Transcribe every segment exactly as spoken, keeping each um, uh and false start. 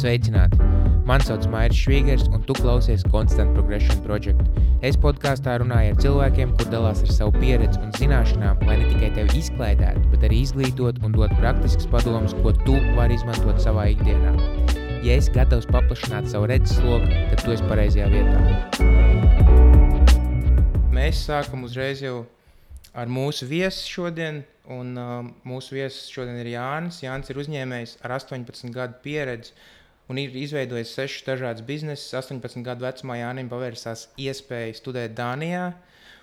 Sveicināti! Mani sauc Mairis Švīgers, un tu klausies Constant Progression Project. Es podkāstā runāju ar cilvēkiem, kur dalās ar savu pieredzi un zināšanām, lai ne tikai tevi izklaidētu, bet arī izglītot un dot praktiskas padomas, ko tu vari izmantot savā ikdienā. Ja esi gatavs paplašināt savu redzesloku, tad tu esi pareizajā vietā. Mēs sākam uzreiz jau ar mūsu viesu šodien, un uh, mūsu viesis šodien ir Jānis. Jānis ir uzņēmējs ar astoņpadsmit gadu pieredzi un ir izveidojis sešus dažādus biznesus. astoņpadsmit gadu vecumā Jānim pavērsās iespēja studēt Dānijā,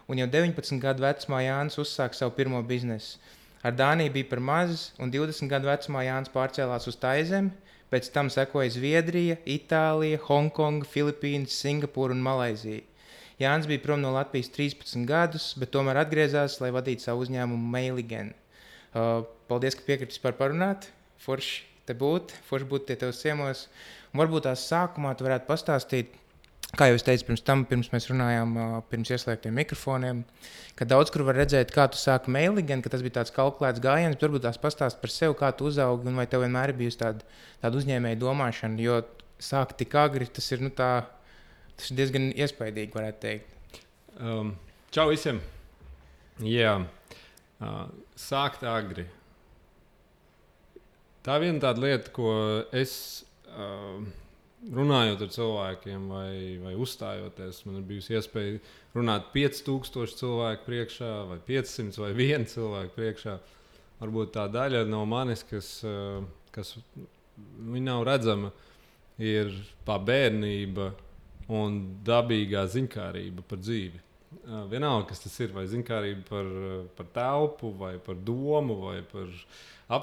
un jau deviņpadsmit gadu vecumā Jānis uzsāka savu pirmo biznesu. Ar Dāniju bija par maz, un divdesmit gadu vecumā Jānis pārcēlās uz Taizemi, pēc tam sekoja Zviedrija, Itālija, Hongkonga, Filipīnas, Singapūra un Malaizija. Jānis bija prom no Latvijas trīspadsmit gadus, bet tomēr atgriezās, lai vadītu savu uzņēmumu Mailigen. Uh, paldies, ka piekritis par parunāt. Forši te būt, forši būt tie tevs ciemos. Un varbūt tās sākumā tu varētu pastāstīt, kā jau es teicu pirms tam, pirms mēs runājām, uh, pirms ieslēgtiem mikrofoniem, ka daudz kur var redzēt, kā tu sāki Mailigen, ka tas bija tāds kalkulēts gājiens, bet varbūt tās pastāst par sevi, kā tu uzaugi un vai tev vienmēr ir bijusi tāda, tāda uzņēmēja domāšana, jo sākt tik agri, tas ir, nu tā, tas ir diezgan iespaidīgi, varētu teikt. Um, čau visiem! Jā, uh, sākt agri. Tā viena tāda lieta, ko es uh, runājot ar cilvēkiem vai, vai uzstājoties, man ir bijusi iespēja runāt pieci tūkstoši cilvēku priekšā vai piecsimt vai viens cilvēku priekšā. Varbūt tā daļa no manis, kas, uh, kas viņa nav redzama, ir tā bērnība un dabīgā ziņkārība par dzīvi. Uh, vienalga, kas tas ir, vai ziņkārība par, par telpu, vai par domu, vai par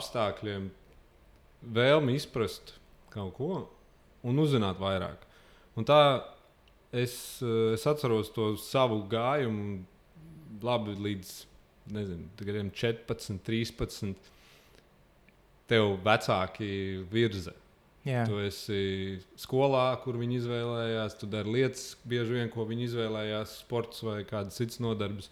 apstākļiem, vēlmi izprast kaut ko un uzzināt vairāk. Un tā es, es atceros to savu gājumu labi līdz, nezinu, četrpadsmit, trīspadsmit. Tev vecāki virza. Jā. Tu esi skolā, kur viņi izvēlējās, tu dari lietas bieži vien, ko viņi izvēlējās, sports vai kādas citas nodarbes.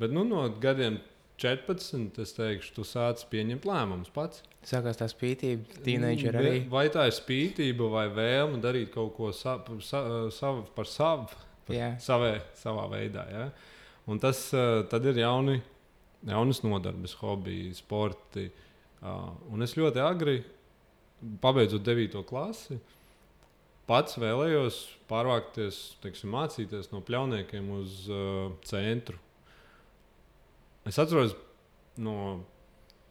Bet nu, no gadiem četrpadsmit, es teikšu, tu sāc pieņemt lēmumus pats. Sākās tā spītība, tīneidžeri arī. Vai tā ir spītība vai vēlme darīt kaut ko sa, sa, savu, par savu, par savē, savā veidā. Ja? Un tas tad ir jauni, jaunas nodarbes, hobiji, sporti. Un es ļoti agri, pabeidzot devīto klasi, pats vēlējos pārvākties, teiksim, mācīties no Pļauniekiem uz uh, centru. Es atceros, no,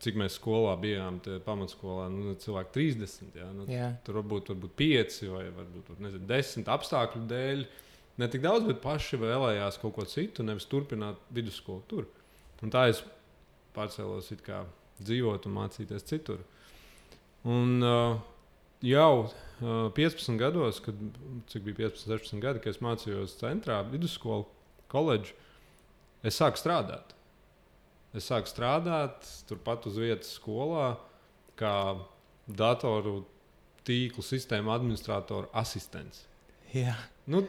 cik mēs skolā bijām, pamatskolā, nu, cilvēki trīsdesmit, jā, nu, tur varbūt, varbūt pieci vai varbūt, nezinu, desmit apstākļu dēļ. Ne tik daudz, bet paši vēlējās kaut ko citu, nevis turpināt vidusskolu tur. Un tā es pārcēlos it kā dzīvot un mācīties citur. Un uh, jau uh, piecpadsmit gados, kad, cik bija piecpadsmit, sešpadsmit gadi, kad es mācījos centrā, vidusskolu, koledžu, es sāku strādāt. Es sāku strādāt turpat uz vietas skolā, kā datoru tīklu sistēmu administratoru asistents. Jā. Nu,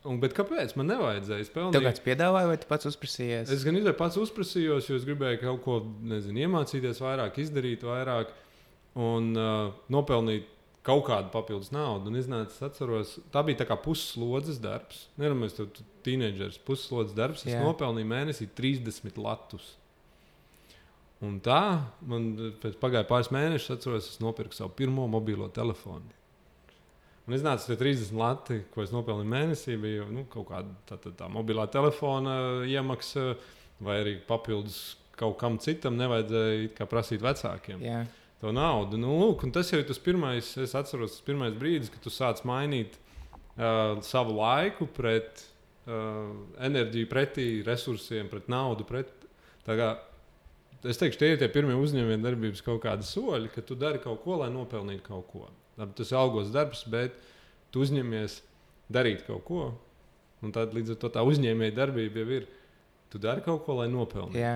un, bet kāpēc? Man nevajadzēja. Pelnīju... Tev kāds piedāvāja vai tu pats uzprasījies? Es gan izvēju pats uzprasījos, jo es gribēju kaut ko, nezinu, iemācīties vairāk, izdarīt vairāk un uh, nopelnīt kaut kādu papildus naudu. Un iznāca, es atceros, tā bija tā kā pusslodzes darbs. Neramais, tu tīneidžers, pusslodzes darbs. Es Jā. nopelnīju mēnesī trīsdesmit latus. Un tā, man pēc pagāja pāris mēnešus, atceros, es nopirku savu pirmo mobilo telefonu. Un iznāca tie trīsdesmit lati, ko es nopelnīju mēnesī, bija nu, kaut kāda tā, tā, tā mobilā telefona iemaksa, vai arī papildus kaut kam citam nevajadzēja kā prasīt vecākiem. Jā. To naudu. Nu, lūk, un tas jau ir tas pirmais, es atceros, tas pirmais brīdis, kad tu sāc mainīt uh, savu laiku pret uh, enerģiju, pretī resursiem, pret naudu. Pret, tā kā, es teikšu, tie ir tie pirmie uzņēmēju darbības kaut kādi soļi, ka tu dari kaut ko, lai nopelnītu kaut ko. Tas ir algos darbs, bet tu uzņemies darīt kaut ko. Un tad līdz ar to tā uzņēmēja darbība jau ir, tu dari kaut ko, lai nopelnītu. Jā.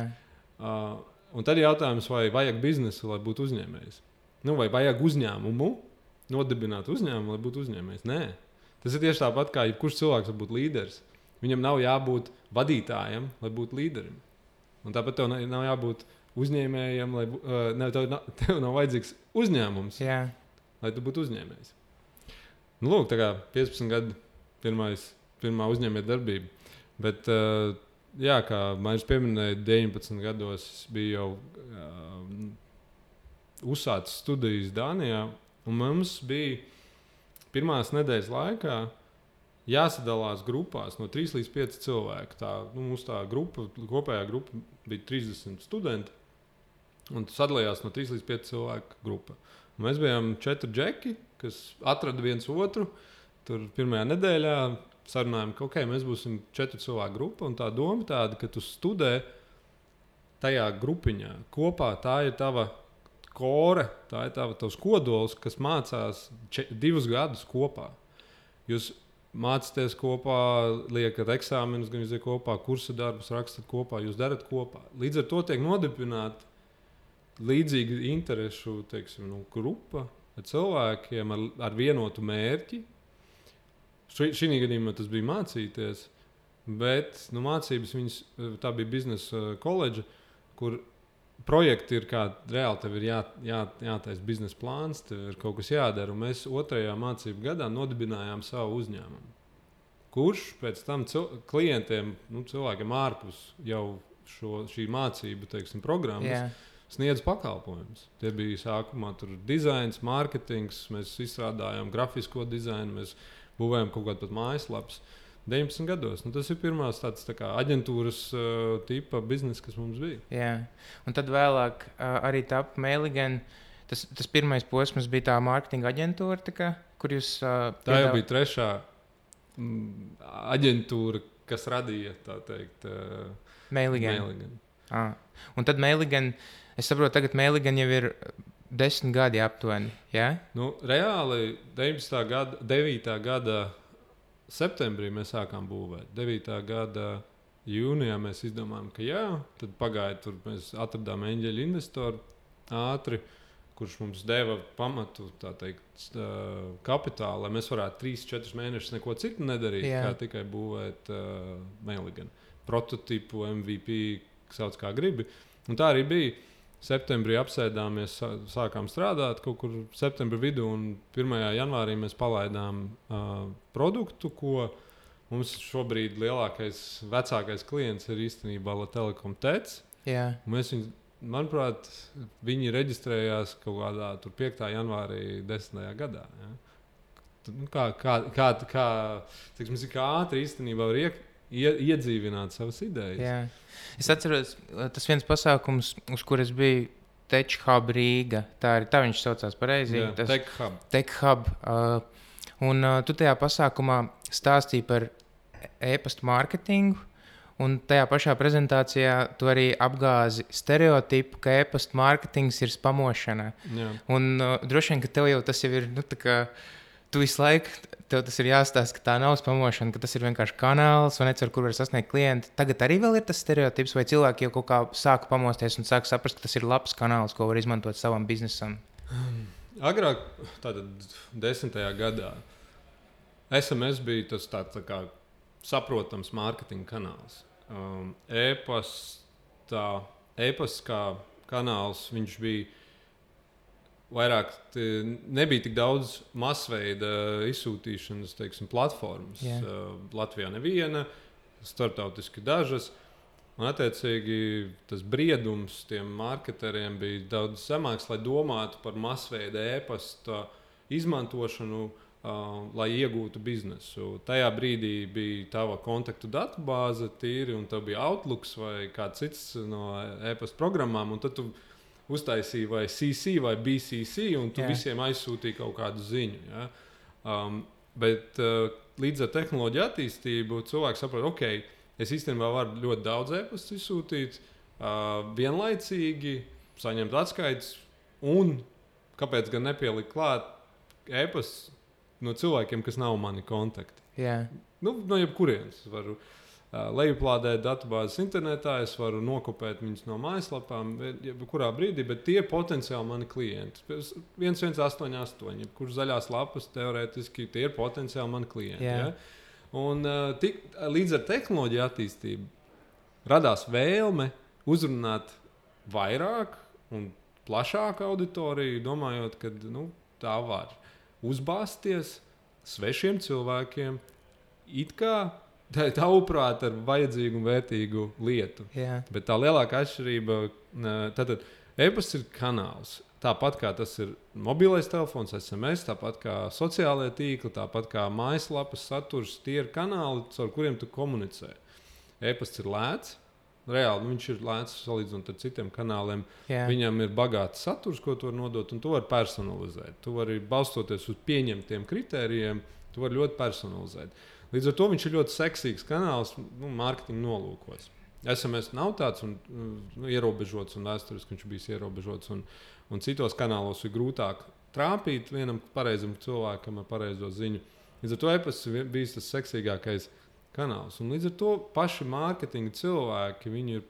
Uh, un tad ir jautājums, vai vajag biznesu, lai būtu uzņēmējs. Nu, vai vajag uzņēmumu, nodibināt uzņēmumu, lai būtu uzņēmējs. Nē. Tas ir tieši tāpat, kā jebkurš cilvēks var būt līderis. Viņam nav jābūt vadītājam, lai būtu līderim. Un tāpat tev nav jābūt uzņēmējam, lai uh, ne, tev, nav, tev nav vajadzīgs uzņēmums, Jā. lai tu būtu uzņēmējs. Nu, lūk, tā kā piecpadsmit gadi pirmais, pirmā uzņēmēja darbība. Bet, uh, jā, kā Mairis pieminēja, deviņpadsmit gados bija jau uh, uzsācis studijas Dānijā, un mums bija pirmās nedēļas laikā jāsadalās grupās no trīs līdz pieci cilvēki. Tā, nu, mums tā grupa, kopējā grupa bija trīsdesmit studenti, un sadalījās no trīs līdz pieci cilvēku grupa. Un mēs bijām četri džeki, kas atrada viens otru. Tur pirmajā nedēļā sarunājām, ka okay, mēs būsim četri cilvēku grupa, un tā doma tāda, ka tu studē tajā grupiņā kopā. Tā ir tava kore, tā ir tava, tavs kodols, kas mācās če, divus gadus kopā. Jūs mācāties kopā, liekat eksāmenus, gan jūs kopā, kursa darbus rakstat kopā, jūs darat kopā. Līdz ar to tiek nodibināta līdzīga interešu, teiksim, nu, grupa ar cilvēkiem ar, ar vienotu mērķi. Šī gadījumā tas bija mācīties, bet nu, mācības viņas, tā bija biznesa koledža, kur projekti ir kā reāli, tev ir jā, jā, jātaisa biznesa plāns, tev ir kaut kas jādara. Un mēs otrajā mācību gadā nodibinājām savu uzņēmumu, kurš pēc tam cil- klientiem, nu, cilvēkiem ārpus jau šo, šī mācību, teiksim, programmas, yeah. sniedz pakalpojumus. Tie bija sākumā tur dizains, mārketings, mēs izstrādājām grafisko dizainu, mēs būvējām kaut kādu pat mājaslapas. deviņpadsmit gados. Nu, tas ir pirmās tāds tā kā aģentūras uh, tipa biznesa, kas mums bija. Jā, un tad vēlāk uh, arī tapa Mailigan. Tas, tas pirmais posms bija tā mārketinga aģentūra, tā kā, kur jūs... Uh, tā jau bija trešā mm, aģentūra, kas radīja, tā teikt, uh, Mailigan. Mailigan. Ah. Un tad Mailigan, es saprotu, tagad Mailigan jau ir desmit gadi aptuveni, jā? Nu, reāli deviņpadsmitā gada, devītā gada septembrī mēs sākām būvēt. devītā gada jūnijā mēs izdomājām, ka jā, tad pagāja tur, mēs atradām eņģeļu investoru ātri, kurš mums deva pamatu, tā teikt, kapitālu, lai mēs varētu trīs četrus mēnešus neko citu nedarīt, jā. Kā tikai būvēt uh, Mailigan. Prototipu, M V P, sauc kā gribi. Un tā arī bija. Septembrī apsēdāmies, sākām strādāt kaut kur septembra vidū, un pirmajā janvārī mēs palaidām uh, produktu, ko mums šobrīd lielākais, vecākais klients ir īstenībā La Telekom Tec. Yeah. Mēs viņu, manuprāt, viņi reģistrējās kaut kādā tur piektā janvārī desmitajā gadā. Ja? Nu, kā, kā, kā, kā, tiksim, kā ātri īstenībā var iek, ie, iedzīvināt savas idejas. Jā. Es atceros, tas viens pasākums, uz kuras bija Tech Hub Rīga. Tā ir tā viņš saucās pareizi. Jā, tas Tech Hub. Tech Hub. Uh, un uh, tu tajā pasākumā stāstīji par e-pasta mārketingu, un tajā pašā prezentācijā tu arī apgāzi stereotipu, ka e-pasta mārketings ir spamošana. Jā. Un uh, droši vien, ka tev jau tas jau ir, nu, tā kā tu visu laiku, tev tas ir jāstāsta, ka tā nav spamošana, ka tas ir vienkārši kanāls, vai necur, kur var sasniegt klienti. Tagad arī vēl ir tas stereotips, vai cilvēki jau kaut kā sāka pamosties un sāka saprast, ka tas ir labs kanāls, ko var izmantot savam biznesam? Agrāk, tātad desmitajā gadā, S M S bija tas tā, tā kā saprotams mārketinga kanāls. Um, e-pasta, e-pasts kā kanāls, viņš bija vairāk, nebija tik daudz masveida izsūtīšanas, teiksim, platformas. Yeah. Uh, Latvijā neviena, starptautiski dažas. Un, attiecīgi, tas briedums tiem marketeriem bija daudz zemāks, lai domātu par masveida e-pasta izmantošanu, uh, lai iegūtu biznesu. Tajā brīdī bija tava kontaktu datubāze tīri, un tev bija Outlooks vai kāds cits no e-pasta programmām, un tad tu uztaisīja vai C C vai B C C, un tu yeah. visiem aizsūtīji kaut kādu ziņu. Ja? Um, bet uh, līdz ar tehnoloģiju attīstību cilvēks saprot, ok, es īstenībā varu ļoti daudz e-pastus izsūtīt, uh, vienlaicīgi saņemt atskaites, un kāpēc gan nepielikt klāt e-pastus no cilvēkiem, kas nav mani kontakti. Yeah. Nu, no jebkurienes varu. Uh, lejuplādēt datubāzes internetā, es varu nokopēt viņus no mājaslapām, jebkurā brīdī, bet tie potenciāli mani klienti. viens viens astoņi astoņi, kurš zaļās lapas teorētiski tie ir potenciāli mani klienti. Yeah. Ja? Un uh, tik, līdz ar tehnoloģiju attīstību radās vēlme uzrunāt vairāk un plašāku auditoriju, domājot, ka nu, tā var uzbāzties svešiem cilvēkiem, it kā tavuprāt ar vajadzīgu un vērtīgu lietu. Jā. Bet tā lielākā atšķirība, tātad e-pasts ir kanāls. Tāpat kā tas ir mobilais telefons, es em es, tāpat kā sociālajie tīkli, tāpat kā mājaslapas saturs, tie ir kanāli, caur kuriem tu komunicē. E-pasts ir lēts, reāli nu, viņš ir lēts salīdzinot ar citiem kanāliem. Jā. Viņam ir bagāts saturs, ko tu vari nodot, un tu vari personalizēt. Tu vari balstoties uz pieņemtiem kritērijiem, tu vari ļoti personalizēt. Līdz ar to viņš ir ļoti seksīgs kanāls nu, mārketinga nolūkos. es em es nav tāds un, nu, ierobežots, un vēsturiski viņš bijis ierobežots. Un, un citos kanālos ir grūtāk trāpīt vienam pareizam cilvēkam ar pareizo ziņu. Līdz ar to e-pasts ir bijis tas seksīgākais kanāls. Un līdz ar to paši mārketinga cilvēki viņu ir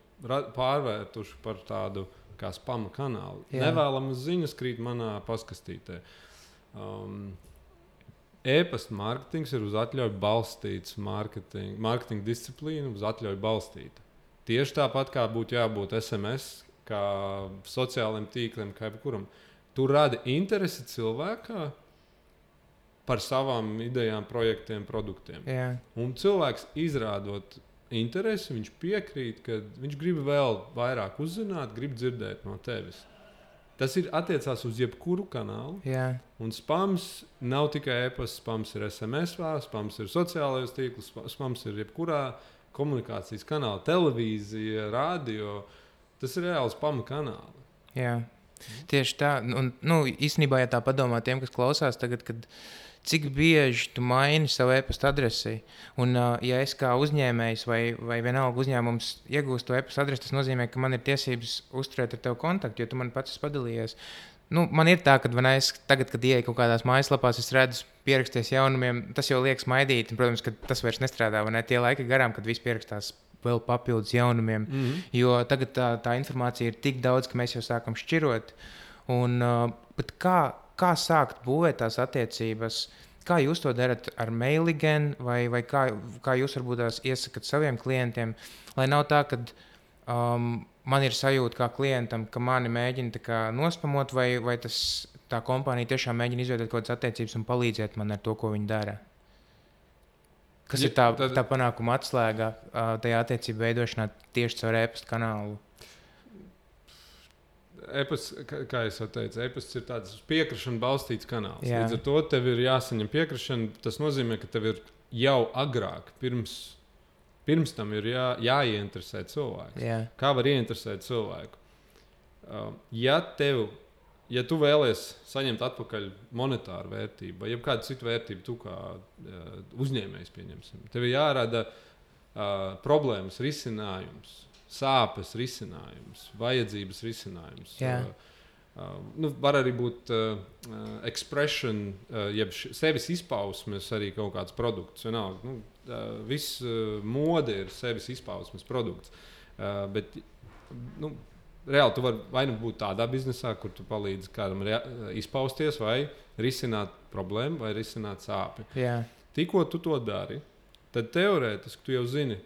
pārvērtuši par tādu kā spama kanālu. Jā. Nevēlamas ziņas krīt manā paskastītē. Um, E-pasta mārketings ir uz atļauju balstīts mārketinga, mārketinga disciplīna, uz atļauju balstīta. Tieši tāpat kā būtu jābūt es em es, kā sociālajiem tīkliem, kā jebkuram. Tu radi interesi cilvēkā par savām idejām, projektiem, produktiem. Jā. Un cilvēks izrādot interesi, viņš piekrīt, ka viņš grib vēl vairāk uzzināt, grib dzirdēt no tevis. Tas ir attiecās uz jebkuru kanālu. Jā. Un spams nav tikai e-pasts, spams ir es em es, spams ir sociālajos tīklus, spams ir jebkurā komunikācijas kanāla, televīzija, radio. Tas ir reāli spama kanāli. Jā, tieši tā. Un, nu, īstenībā, ja tā padomā tiem, kas klausās tagad, kad cik bieži tu maini savu e-pasta adresi. Un, uh, ja es kā uzņēmējs vai, vai vienalga uzņēmums iegūstu to e-pasta adresi, tas nozīmē, ka man ir tiesības uzturēt ar tevi kontaktu, jo tu man pats esi padalījies. Nu, man ir tā, ka es tagad, kad ieeju kaut kādās mājaslapās, es redzu pieraksties jaunumiem, tas jau liekas maidīt. Un, protams, ka tas vairs nestrādā, vai ne? Tie laiki garām, kad viss pierakstās vēl papildus jaunumiem. Mm-hmm. Jo tagad tā, tā informācija ir tik daudz, ka mēs jau sākam šķirot. Un, uh, bet kā, kā sākt būvēt tās attiecības? Kā jūs to darat ar mailigiem, vai, vai kā, kā jūs varbūt tās iesakat saviem klientiem, lai nav tā, ka um, man ir sajūta kā klientam, ka mani mēģina tā kā nospamot, vai, vai tas, tā kompānija tiešām mēģina izveidot kaut kādas attiecības un palīdzēt man ar to, ko viņi dara? Kas ja, ir tā, tad... tā panākuma atslēga uh, tajā attiecību veidošanā tieši caur e-pasta kanālu? E-pasts, kā jau teicu, e-pasts ir tāds piekrišana balstīts kanāls. Jā. Līdz ar to tev ir jāsaņem piekrišana. Tas nozīmē, ka tev ir jau agrāk, pirms, pirms tam ir jā, jāieinteresē cilvēks. Jā. Kā var ieinteresēt cilvēku? Uh, ja, tev, ja tu vēlies saņemt atpakaļ monetāru vērtību vai kādu citu vērtību, tu kā uh, uzņēmējs pieņemsim, tev ir jārada uh, problēmas risinājums. Sāpes risinājums, vajadzības risinājums. Uh, uh, nu, var arī būt uh, expression, uh, jeb sevis izpausmes arī kaut kāds produkts. Vienalga, nu, uh, viss uh, mode ir sevis izpausmes produkts. Uh, bet nu, reāli tu vari vai nu būt tādā biznesā, kur tu palīdzi kādam izpausties vai risināt problēmu vai risināt sāpi. Jā. Tikko tu to dari, tad teorētiski tu jau zini,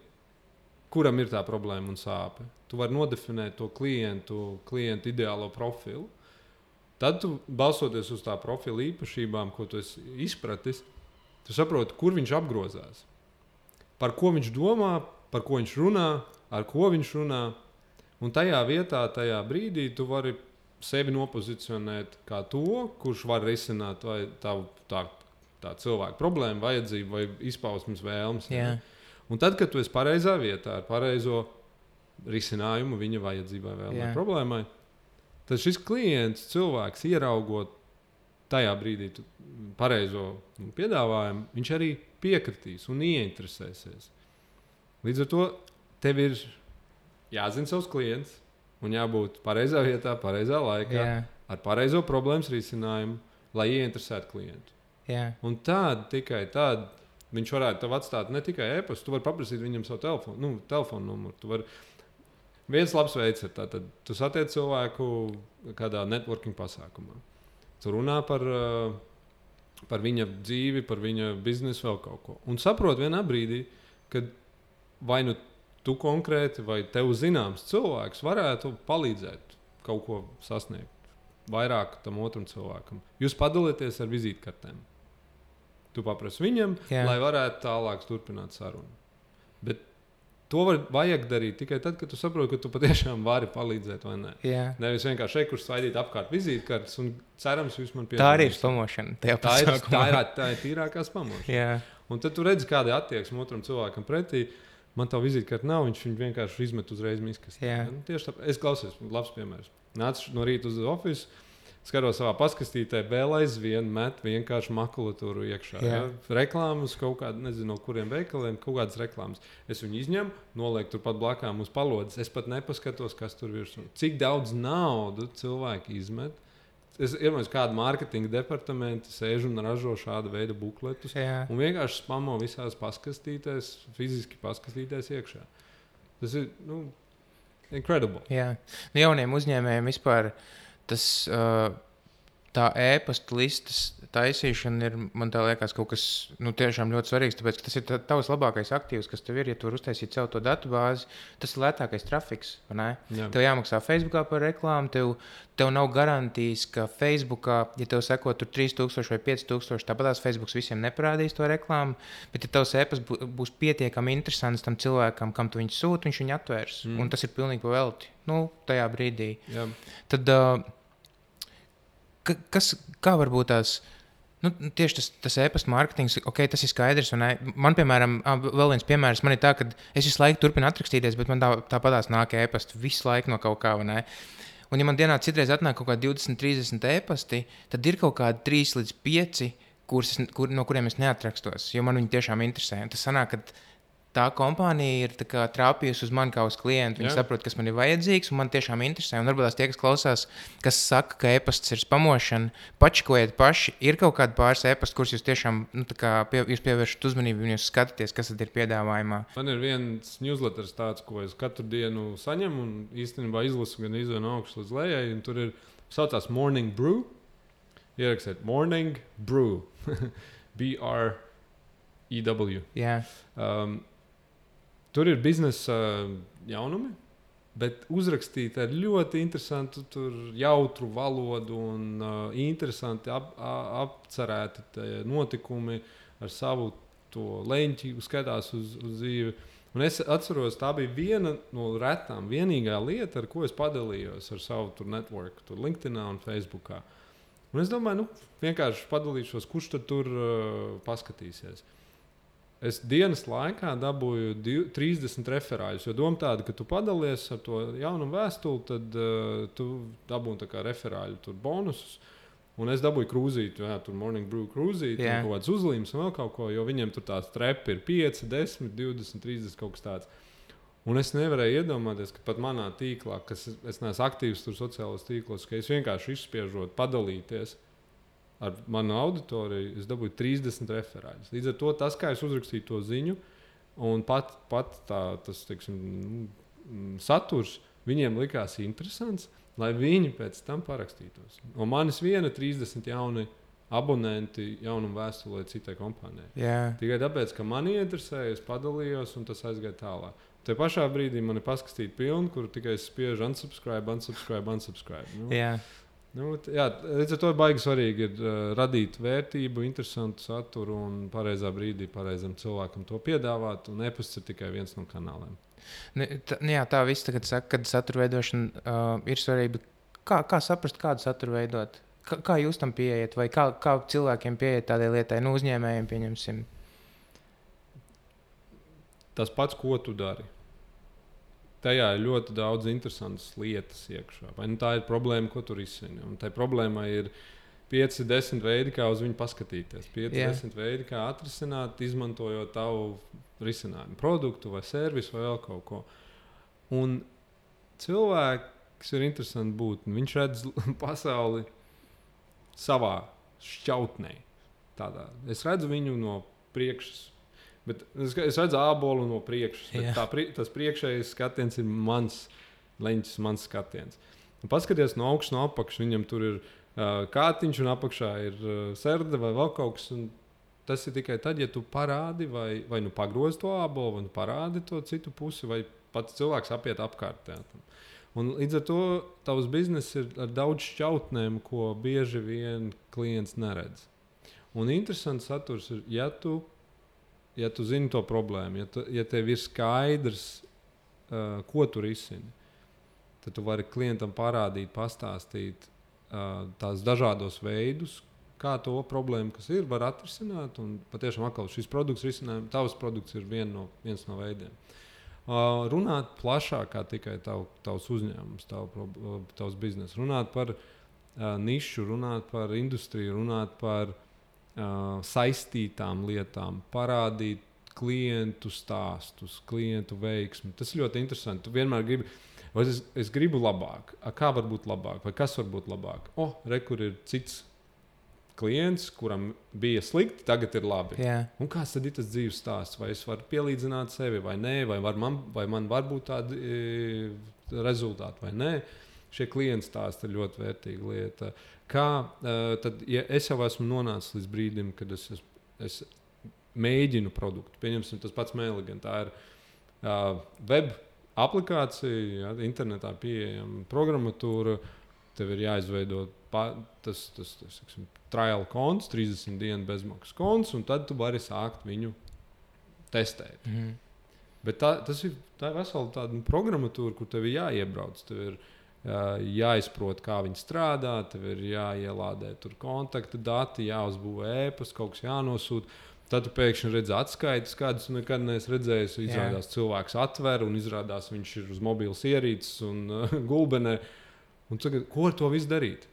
kuram ir tā problēma un sāpe. Tu vari nodefinēt to klientu, klientu ideālo profilu. Tad, tu, balstoties uz tā profila īpašībām, ko tu esi izpratis, tu saproti, kur viņš apgrozās. Par ko viņš domā, par ko viņš runā, ar ko viņš runā. Un tajā vietā, tajā brīdī tu vari sevi nopozicionēt kā to, kurš var risināt vai tā, tā, tā cilvēka problēmu, vajadzību vai izpausmes vēlmes. Jā. Un tad, kad tu esi pareizā vietā ar pareizo risinājumu viņa vajadzībai vai problēmai, tad šis klients, cilvēks, ieraugot tajā brīdī pareizo piedāvājumu, viņš arī piekritīs un ieinteresēsies. Līdz ar to tev ir jāzina savs klients un jābūt pareizā vietā, pareizā laikā, Jā. ar pareizo problēmas risinājumu, lai ieinteresētu klientu. Jā. Un tād, tikai tād, viņš varētu tev atstāt ne tikai e-pastu, tu vari paprasīt viņam savu telefonu, nu, telefonu numuru. Tu vari... Viens labs veids ir tātad, tu satiec cilvēku kādā networking pasākumā. Tu runā par, par viņa dzīvi, par viņa biznesu, vēl kaut ko. Un saprot vienā brīdī, kad vai nu tu konkrēti vai tev zināms cilvēks varētu palīdzēt kaut ko sasniegt vairāk tam otram cilvēkam. Jūs padalieties ar vizītkartēm. Tu paprasti viņam, jā. Lai varētu tālāk turpināt sarunu. Bet to var, vajag darīt tikai tad, kad tu saproti, ka tu patiešām vari palīdzēt vai nē. Jā. Nevis vienkārši šeit, kur svaidīt apkārt vizītkartes un cerams, jūs man piedalīsiet. Tā arī ir spamošana. Tā ir, tā, ir, tā ir tīrākā spamošana. Jā. Un tad tu redzi, kāda ir attieksme otram cilvēkam pretī. Man tā vizītkarte nav, viņš viņu vienkārši izmet uzreiz miskastē. Nu, tieši tāpēc es klausos, labs piemērs. Nācu no rīta uz ofisu. Skatos savā paskastītē, vēl aizvien met vienkārši makulatūru iekšā. Ja? Reklāmas, kaut kāda, nezinu, no kuriem veikaliem, kaut kādas reklāmas. Es viņu izņemu, nolieku turpat blakām uz palodzes. Es pat nepaskatos, kas tur virsū. Cik daudz naudu cilvēki izmet. Es iedomājos, kādu mārketinga departamentu sēž un ražo šādu veidu bukletus. Jā. Un vienkārši spamo visās paskastītēs, fiziski paskastītēs iekšā. Tas ir, nu, incredible. Jā. Nu, jauniem uzņēmējiem vispār tas, uh, tā e-pasta listas taisīšana ir, man tā liekas, kaut kas nu, tiešām ļoti svarīgs, tāpēc, ka tas ir tavs labākais aktīvs, kas tev ir, ja tu vari uztaisīt savu to datubāzi, tas ir lētākais trafiks, vai ne? Jā. Tev jāmaksā Facebookā par reklāmu, tev, tev nav garantijas, ka Facebookā, ja tev seko tur trīs tūkstoši vai pieci tūkstoši, tāpatās Facebooks visiem neparādīs to reklāmu, bet ja tavs e-pasts būs pietiekami interesants tam cilvēkam, kam tu viņu sūti, viņš viņu atvērs, mm. un tas ir pilnīgi pa velti, nu, tajā brīdī. Jā. Tad, uh, Kas, kā varbūt tās, nu, tieši tas, tas e-pasta mārketings, ok, tas ir skaidrs. Man, piemēram, vēl viens piemērs, man ir tā, ka es visu laiku turpinu atrakstīties, bet man tā, tāpatās nāk e-pasta visu laiku no kaut kā, vai ne? Un ja man dienā citreiz atnāk kaut kādi divdesmit, trīsdesmit e-pasti, tad ir kaut kādi trīs līdz pieci, kurus, kur, no kuriem es neatrakstos, jo man viņi tiešām interesē. Un tas sanāk, ka tā kompānija ir tā kā trāpījusi uz mani kā uz klientu. Viņi Jā. Saprot, kas man ir vajadzīgs, un man tiešām interesē. Un varbūt tie, kas klausās, kas saka, ka e-pasts ir spamošana, pačkojiet paši. Ir kaut kādi pāris e-pasti, kurus jūs tiešām nu, pie, jūs pievēršat uzmanību, un jūs skatāties, kas tad ir piedāvājumā. Man ir viens newsletters tāds, ko es katru dienu saņemu, un īstenībā izlasu gan izvēlu no augšas līdz lejai. Tur ir saucās Morning Brew. Ierakstiet Morning Brew. B R E W. Yeah. Um, Tur ir biznesa jaunumi, bet uzrakstīti ar ļoti interesantu, jautru valodu un uh, interesanti ap, apcerēti notikumi ar savu leņķi, skatās uz, uz dzīvi. Un es atceros, tā bija viena no retām, vienīgā lieta, ar ko es padalījos ar savu tur networku, tur LinkedInā un Facebookā. Un es domāju, nu, vienkārši padalīšos, kurš tad tur uh, paskatīsies. Es dienas laikā dabūju trīsdesmit referāļus, jo doma tāda, ka tu padalies ar to jaunu vēstuli, tad uh, tu dabūji tā kā referāļu tur bonusus. Un es dabūju krūzīti, jā, tur Morning Brew krūzīti, yeah. un kaut kāds uzlīmes un vēl kaut ko, jo viņiem tur tās trepi ir pieci, desmit, divdesmit, trīsdesmit kaut kas tāds. Un es nevarēju iedomāties, ka pat manā tīklā, kas es neesmu aktīvs tur sociālos tīklos, ka es vienkārši izspiežot, padalīties ar manu auditoriju, es dabūju trīsdesmit referāļus. Līdz ar to tas, kā es uzrakstīju to ziņu, un pat, pat tā, tas, teiksim, saturs viņiem likās interesants, lai viņi pēc tam parakstītos. Un manis viena trīsdesmit jauni abonenti jaunumu vēstulē citai kompānijai. Yeah. Tikai tāpēc, ka mani interesēja, es padalījos, un tas aizgāja tālāk. Te pašā brīdī man ir paskastīti pilni, kur tikai spiež unsubscribe, unsubscribe, unsubscribe. Nu, yeah. Nu, jā, līdz ar to baigi svarīgi ir uh, radīt vērtību, interesantu saturu un pareizā brīdī pareizam cilvēkam to piedāvāt. Un e-pasts ir tikai viens no kanāliem. Ne, tā, jā, tā viss tagad saka, kad satura veidošana uh, ir svarīga. Kā, kā saprast, kādu saturu veidot? Kā, kā jūs tam pieejat? Vai kā, kā cilvēkiem pieejat tādai lietai? Nu, uzņēmējiem pieņemsim. Tas pats, ko tu dari. Tajā ir ļoti daudz interesantas lietas iekšā. Vai nu tā ir problēma, ko tu risini? Un tai problēmai ir pieci, desmit veidi, kā uz viņu paskatīties. pieci, yeah. desmit veidi, kā atrisināt, izmantojot tavu risinājumu, produktu vai servisu vai vēl kaut ko. Un cilvēks ir interesants būtne. Viņš redz pasauli savā šķautnē. Tādā. Es redzu viņu no priekšas. Bet es, es redzu ābolu no priekšas. Tā, tas priekšējais skatiens ir mans leņķis, mans skatiens. Un paskaties no augšas, no apakšas. Viņam tur ir uh, kātiņš un apakšā ir uh, serde vai vēl kaut kas. Tas ir tikai tad, ja tu parādi vai, vai nu pagrozi to ābolu, vai nu parādi to citu pusi, vai pats cilvēks apiet apkārt. Un līdz ar to tavs bizness ir ar daudz šķautnēm, ko bieži vien klients neredz. Un interesants saturs ir, ja tu, ja tu zini to problēmu, ja, tu, ja tev ir skaidrs, uh, ko tu risini, tad tu vari klientam parādīt, pastāstīt uh, tās dažādos veidus, kā to problēmu, kas ir, var atrisināt. Un patiešām atkal šis produkts risinājums, tavs produkts ir vien no, viens no veidiem. Uh, runāt plašāk kā tikai tav, tavs uzņēmums, tav, tavs bizness. Runāt par uh, nišu, runāt par industriju, runāt par uh, saistītām lietām, parādīt klientu stāstus, klientu veiksmi. Tas ir ļoti interesanti. Tu vienmēr gribi, vai es, es gribu labāk. A, kā var būt labāk? Vai kas var būt labāk? O, re, kur ir cits klients, kuram bija slikti, tagad ir labi. Yeah. Un kāds tad ir tas dzīves stāsts? Vai es varu pielīdzināt sevi vai nē, vai, var man, vai man var būt tādi e, rezultāti vai nē. Šie klienta stāsti ir ļoti vērtīga lieta. Kā, e, tad, ja es jau esmu nonācis līdz brīdim, kad es, es, es mēģinu produktu, pieņemsim tas pats Mailigan, tā ir uh, web aplikācija, ja, internetā pieejama programmatūra, tev ir jāizveido pa, tas, tas, tas saksim, trial konts, trīsdesmit dienu bezmaksas konts, un tad tu vari sākt viņu testēt. Mm. Bet tā, tas ir, tā ir vesela tāda programmatūra, kur tev ir jāiebrauc, tev ir jā, jāizprot, kā viņi strādā, tev ir jāielādē tur kontakta dati, jāuzbūvē ēpas, kaut kas jānosūta. Tad tu pēkšņi redzi atskaites, kādas nekad neesi redzējis. Izrādās, yeah. cilvēks atver un izrādās, viņš ir uz mobilas ierīces un uh, gulbenē. Un tagad, ko ar to visu darīt?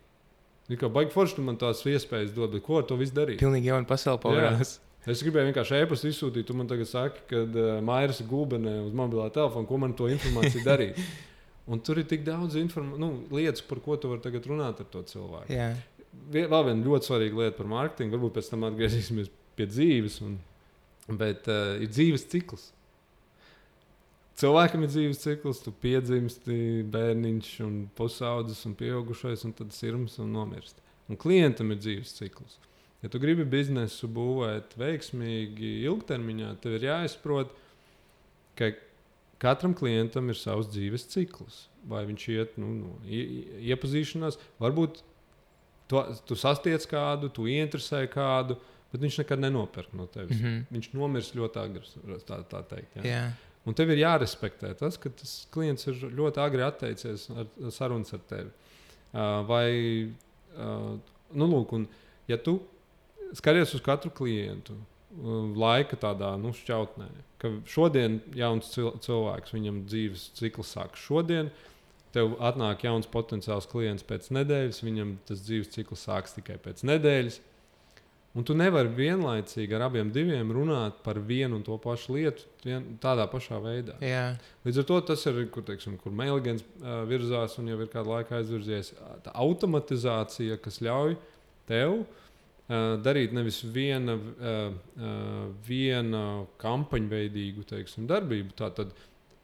Ir kā baigi forši, tu man tās iespējas dod, bet ko ar to visu darīt? Pilnīgi jauna pasaule pavērās. Es gribēju vienkārši ēpastu izsūtīt, tu man tagad saki, kad uh, Mairis ir gulbenē uz mobilā telefona, ko man to informāciju darīt. Un tur ir tik daudz inform- nu, lietas, par ko tu vari tagad runāt ar to cilvēku. Yeah. Vēl viena ļoti svarīga lieta par mārketingu, varbūt pēc tam atgriezīsimies pie dzīves, un, bet uh, ir dzīves cikls. Cilvēkam ir dzīves cikls, tu piedzimsti, bērniņš, un pusaudzis, un pieaugušais, un tad sirms un nomirst. Un klientam ir dzīves cikls. Ja tu gribi biznesu būvēt veiksmīgi ilgtermiņā, tev ir jāizprot, ka katram klientam ir savs dzīves cikls. Vai viņš iet nu, no iepazīšanās, varbūt tu, tu sastiec kādu, tu ieinteresē kādu, bet viņš nekad nenopērk no tevis. Mm-hmm. Viņš nomirs ļoti agri, tā, tā teikt. Ja? Yeah. Un tev ir jārespektē tas, ka tas klients ir ļoti agri atteicies ar sarunas ar tevi. Uh, vai, uh, nu lūk, un ja tu skaties uz katru klientu uh, laika tādā, nu, šķautnē, ka šodien jauns cil- cilvēks, viņam dzīves cikls sāk šodien, tev atnāk jauns potenciāls klients pēc nedēļas, viņam tas dzīves cikls sāks tikai pēc nedēļas. Un tu nevari vienlaicīgi ar abiem diviem runāt par vienu un to pašu lietu vien, tādā pašā veidā. Yeah. Līdz ar to tas ir, kur, teiksim, kur Mailagans uh, virzās un jau ir kādu laiku aizvirzies. Tā automatizācija, kas ļauj tev uh, darīt nevis viena, uh, uh, viena kampaņveidīgu, teiksim, darbību, tātad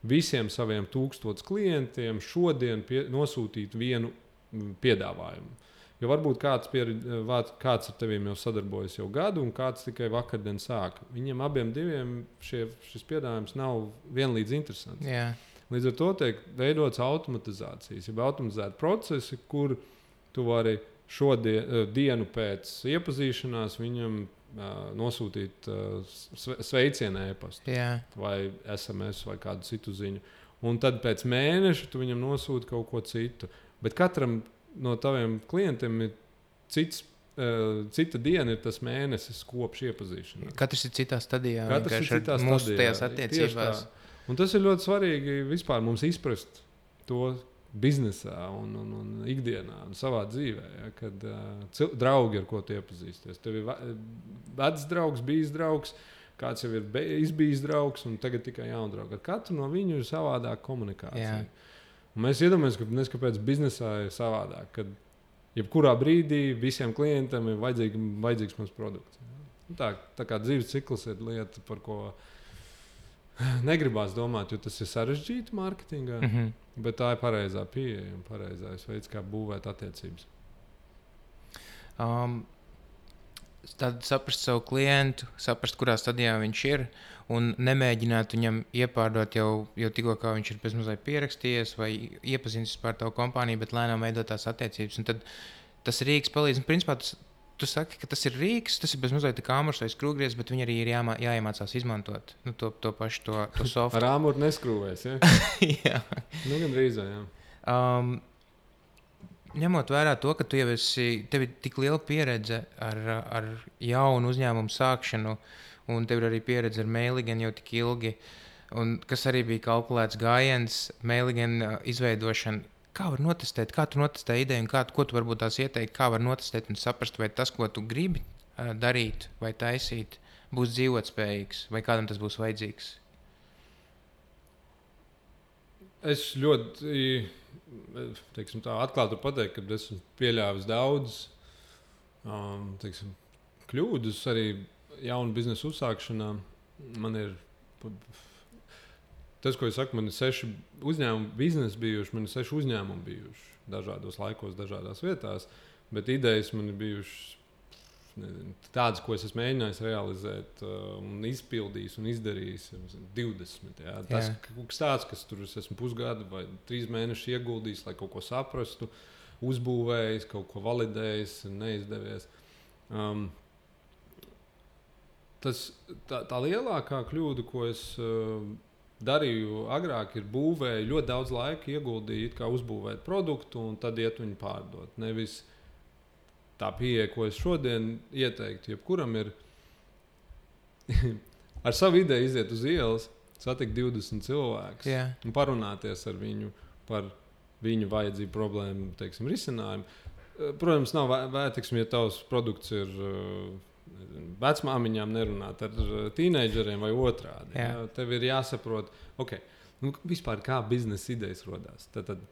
visiem saviem tūkstotis klientiem šodien pie, nosūtīt vienu piedāvājumu. Jo varbūt kāds, piered, kāds ar teviem jau sadarbojas jau gadu, un kāds tikai vakardien sāka. Viņiem abiem diviem šie, šis piedāvājums nav vienlīdz interesants. Yeah. Līdz ar to tiek veidots automatizācijas, jau automatizēti procesi, kur tu vari šodien, dienu pēc iepazīšanās viņam uh, nosūtīt uh, sveicienu e-pastu, yeah. vai es em es vai kādu citu ziņu. Un tad pēc mēneša tu viņam nosūti kaut ko citu. Bet katram no taviem klientiem ir cits, uh, cita diena, ir tas mēnesis kopš iepazīšanās. Katrs ir citā stadijā. Katrs ir citā mūsu stadijā. tajās attiecībās. Un tas ir ļoti svarīgi vispār mums izprast to biznesā un, un, un ikdienā un savā dzīvē, ja, kad uh, cil- draugi, ar ko tu iepazīsties. Tev ir vecs draugs, bijis draugs, kāds jau ir be- izbijis draugs un tagad tikai jauna drauga. Ar katru no viņu ir savādāka komunikācija. Yeah. Un mēs iedomājamies, ka nes, kāpēc biznesā ir savādāk, kad jebkurā brīdī visiem klientiem ir vajadzīgi, vajadzīgs mums produkts. Ja. Tā, tā kā dzīves cikls ir lieta, par ko negribās domāt, jo tas ir sarežģīti mārketingā, mm-hmm. bet tā ir pareizā pieeja un pareizais veids, kā būvēt attiecības. Um, tad saprast savu klientu, saprast, kurā stadijā viņš ir, un nemēģināt viņam iepārdot jau, jau tikko, kā viņš ir bezmazliet pierakstījies vai iepazīstinājis par tavu kompāniju, bet lēnām veidot tās attiecības. Un tad tas rīks palīdz. Un, principā, tas tu saki, ka tas ir rīks, tas ir bezmazliet kā āmurs vai skrūvgriezs, bet viņi arī ir jāmā, jāiemācās izmantot nu, to, to pašu to, to softu. Ar āmuru neskrūvēs, ja? Jā. Nu, gan drīzā, jā. Um, ņemot vērā to, ka tu jau esi, tev ir tik liela pieredze ar, ar jaunu uzņēmumu sākšanu, un tev ir arī pieredze ar Mailigen jau tik ilgi, un kas arī bija kalkulēts gājiens, Mailigen izveidošana. Kā var notestēt, kā tu notestē ideju, un kā, ko tu varbūt tās ieteikt, kā var notestēt un saprast, vai tas, ko tu gribi uh, darīt vai taisīt, būs dzīvotspējīgs, vai kādam tas būs vajadzīgs? Es ļoti, teiksim tā, atklāti pateikt, ka esmu pieļāvis daudz, um, teiksim, kļūdas arī jaunu biznesu uzsākšanā. Man ir... Tas, ko es saku, man ir seši uzņēmumi biznesi bijuši, man ir seši uzņēmumi bijuši dažādos laikos, dažādās vietās, bet idejas man ir bijušas nezinu, tādas, ko es esmu mēģinājis realizēt uh, un izpildījis un izdarījis divdesmit. Jā. Tas ir kaut kas tāds, kas tur es esmu pusgadu vai trīs mēnešus ieguldījis, lai kaut ko saprastu, uzbūvējis, kaut ko validējis, neizdevies. Um, tas, tā, tā lielākā kļūda, ko es... Uh, darīju agrāk, ir būvēju, ļoti daudz laika ieguldīju, kā uzbūvēt produktu un tad iet viņu pārdot. Nevis tā pieeja, ko es šodien ieteiktu, jebkuram ir ar savu ideju iziet uz ielas, satikt divdesmit cilvēkus yeah. un parunāties ar viņu par viņu vajadzību, problēmu, teiksim, risinājumu. Protams, nav vērtīgs, ja tavs produkts ir vecmāmiņām nerunāt ar tīneidžeriem vai otrādi. Jā. Jā, tev ir jāsaprot, okay, nu, vispār kā biznesa idejas rodās. Tad, tad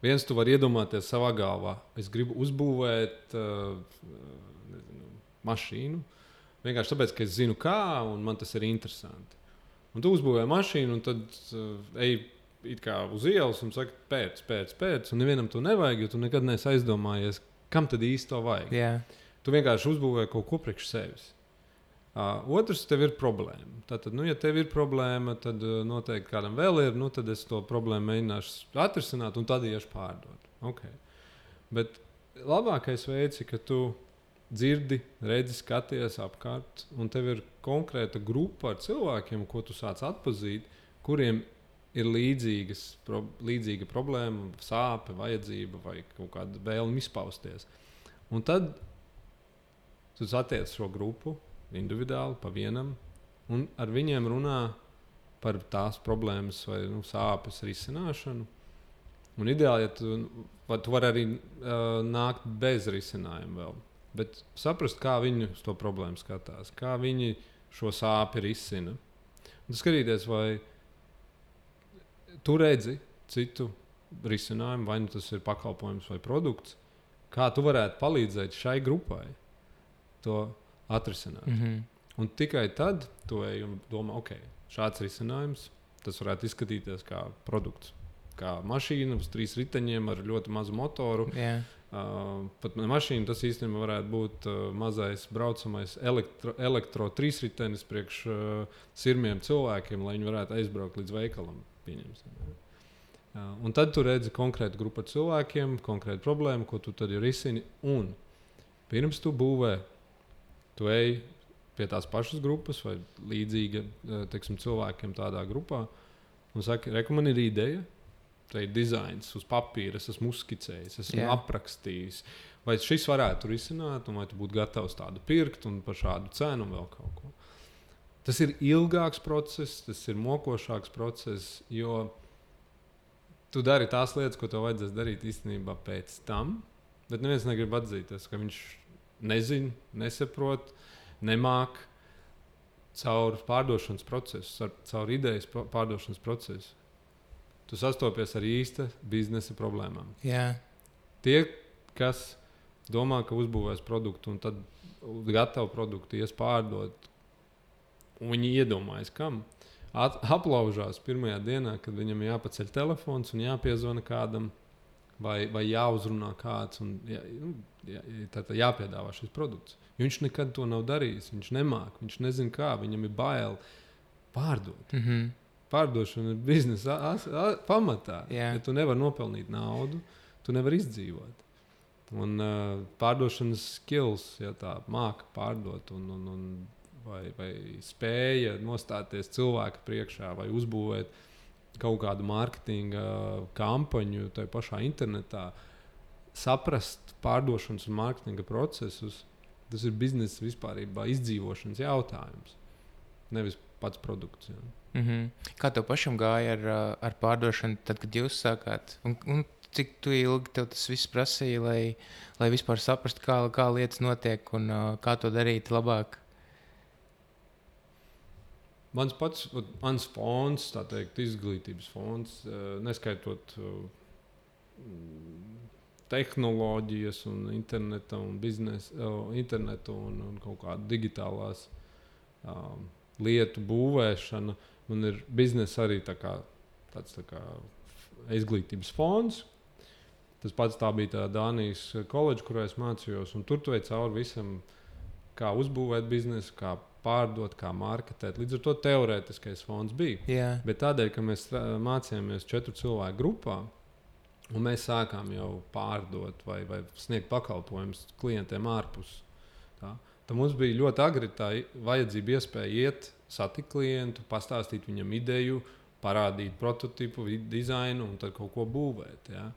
viens tu vari iedomāties savā galvā. Es gribu uzbūvēt uh, nezinu, mašīnu, vienkārši tāpēc, ka es zinu kā, un man tas ir interesanti. Un tu uzbūvē mašīnu, un tad uh, ej it kā uz ielas un saka, pēc, pēc, pēc, un nevienam to nevajag, jo tu nekad neesi aizdomājies, kam tad īsti to vajag. Yeah. Tu vienkārši uzbūvē kaut ko priekš sevis. Uh, otrs, tev ir problēma. Tātad, nu, ja tev ir problēma, tad uh, noteikti kādam vēl ir, nu, tad es to problēmu mēģināšu atrisināt un tad iešu pārdot. Okay. Bet labākais veids ir, ka tu dzirdi, redzi, skaties apkārt, un tev ir konkrēta grupa ar cilvēkiem, ko tu sāc atpazīt, kuriem ir līdzīgas, pro, līdzīga problēma, sāpe, vajadzība vai kaut kāda vēlme izpausties. Un tad tu satiec šo grupu individuāli, pa vienam, un ar viņiem runā par tās problēmas vai nu, sāpes risināšanu. Un ideāli, ja tu, tu vari arī uh, nākt bez risinājuma vēl. Bet saprast, kā viņi uz to problēmu skatās, kā viņi šo sāpi risina. Un skatīties, vai tu redzi citu risinājumu, vai nu tas ir pakalpojums vai produkts, kā tu varētu palīdzēt šai grupai to atrisināt. Mm-hmm. Un tikai tad tu ej un domā, ok, šāds risinājums, tas varētu izskatīties kā produkts, kā mašīna uz trīs riteņiem ar ļoti mazu motoru. Yeah. Uh, pat mašīna tas īstenībā varētu būt uh, mazais braucamais elektro, elektro trīsritenis priekš uh, sirmiem cilvēkiem, lai viņi varētu aizbraukt līdz veikalam. Pieņemsim. Uh, un tad tu redzi konkrētu grupu cilvēkiem, konkrētu problēmu, ko tu tad ir risini. Un pirms tu būvē, tu ej pie tās pašas grupas vai līdzīga teiksim, cilvēkiem tādā grupā un saki, reku, man ir ideja, tā ir dizains uz papīra, es esmu uzskicējis, esmu Jā. aprakstījis. Vai šis varētu risināt, un vai tu būtu gatavs tādu pirkt un par šādu cenu un vēl kaut ko. Tas ir ilgāks process, tas ir mokošāks process, jo tu dari tās lietas, ko tev vajadzēs darīt īstenībā pēc tam, bet neviens negrib atzīties, ka viņš nezina, nesaprot, nemāk caur pārdošanas procesu, caur idejas pārdošanas procesu. Tu sastopies ar īsta biznesa problēmām. Yeah. Tie, kas domā, ka uzbūvēs produktu un tad gatavu produktu ies pārdot, un viņi iedomājas, kam, At, aplaužās pirmajā dienā, kad viņam jāpaceļ telefons un jāpiezvana kādam, vai, vai jāuzrunā kāds un jā, nu, jā, tā, tā jāpiedāvā šis produkts. Jo viņš nekad to nav darījis, viņš nemāk, viņš nezina kā, viņam ir bail pārdot. Mm-hmm. Pārdošana ir biznesa pamatā. Yeah. Ja tu nevari nopelnīt naudu, tu nevari izdzīvot. Un uh, pārdošanas skills, ja tā māka pārdot un, un, un vai, vai spēja nostāties cilvēka priekšā vai uzbūvēt kaut kādu mārketinga kampaņu tajā pašā internetā, saprast pārdošanas un mārketinga procesus, tas ir biznesa vispārībā izdzīvošanas jautājums, nevis pats produkts. Ja. Mm-hmm. Kā tev pašam gāja ar, ar pārdošanu, tad, kad jūs sākāt? Un, un cik tu ilgi tev tas viss prasīja, lai, lai vispār saprastu, kā, kā lietas notiek un uh, kā to darīt labāk? Mans pats, mans fonds, tā teikt, izglītības fonds, neskaitot tehnoloģijas un interneta un biznesa, internetu un, un kaut kādu digitālās um, lietu būvēšana. Man ir biznesa arī tā kā, tāds tā kā izglītības fonds. Tas pats tā bija tā Dānijas koledža, kurā es mācījos, un tur tu ej cauri visam, kā uzbūvēt biznesu, kā pārdot, kā marketēt. Līdz ar to teorētiskais fonds bija. Yeah. Bet tādēļ, ka mēs mācījāmies četru cilvēku grupā, un mēs sākām jau pārdot vai, vai sniegt pakalpojumus klientiem ārpus. Tā. Tad mums bija ļoti agri tā vajadzība iespēja iet, satikt klientu, pastāstīt viņam ideju, parādīt prototipu, dizainu un tad kaut ko būvēt. Ja.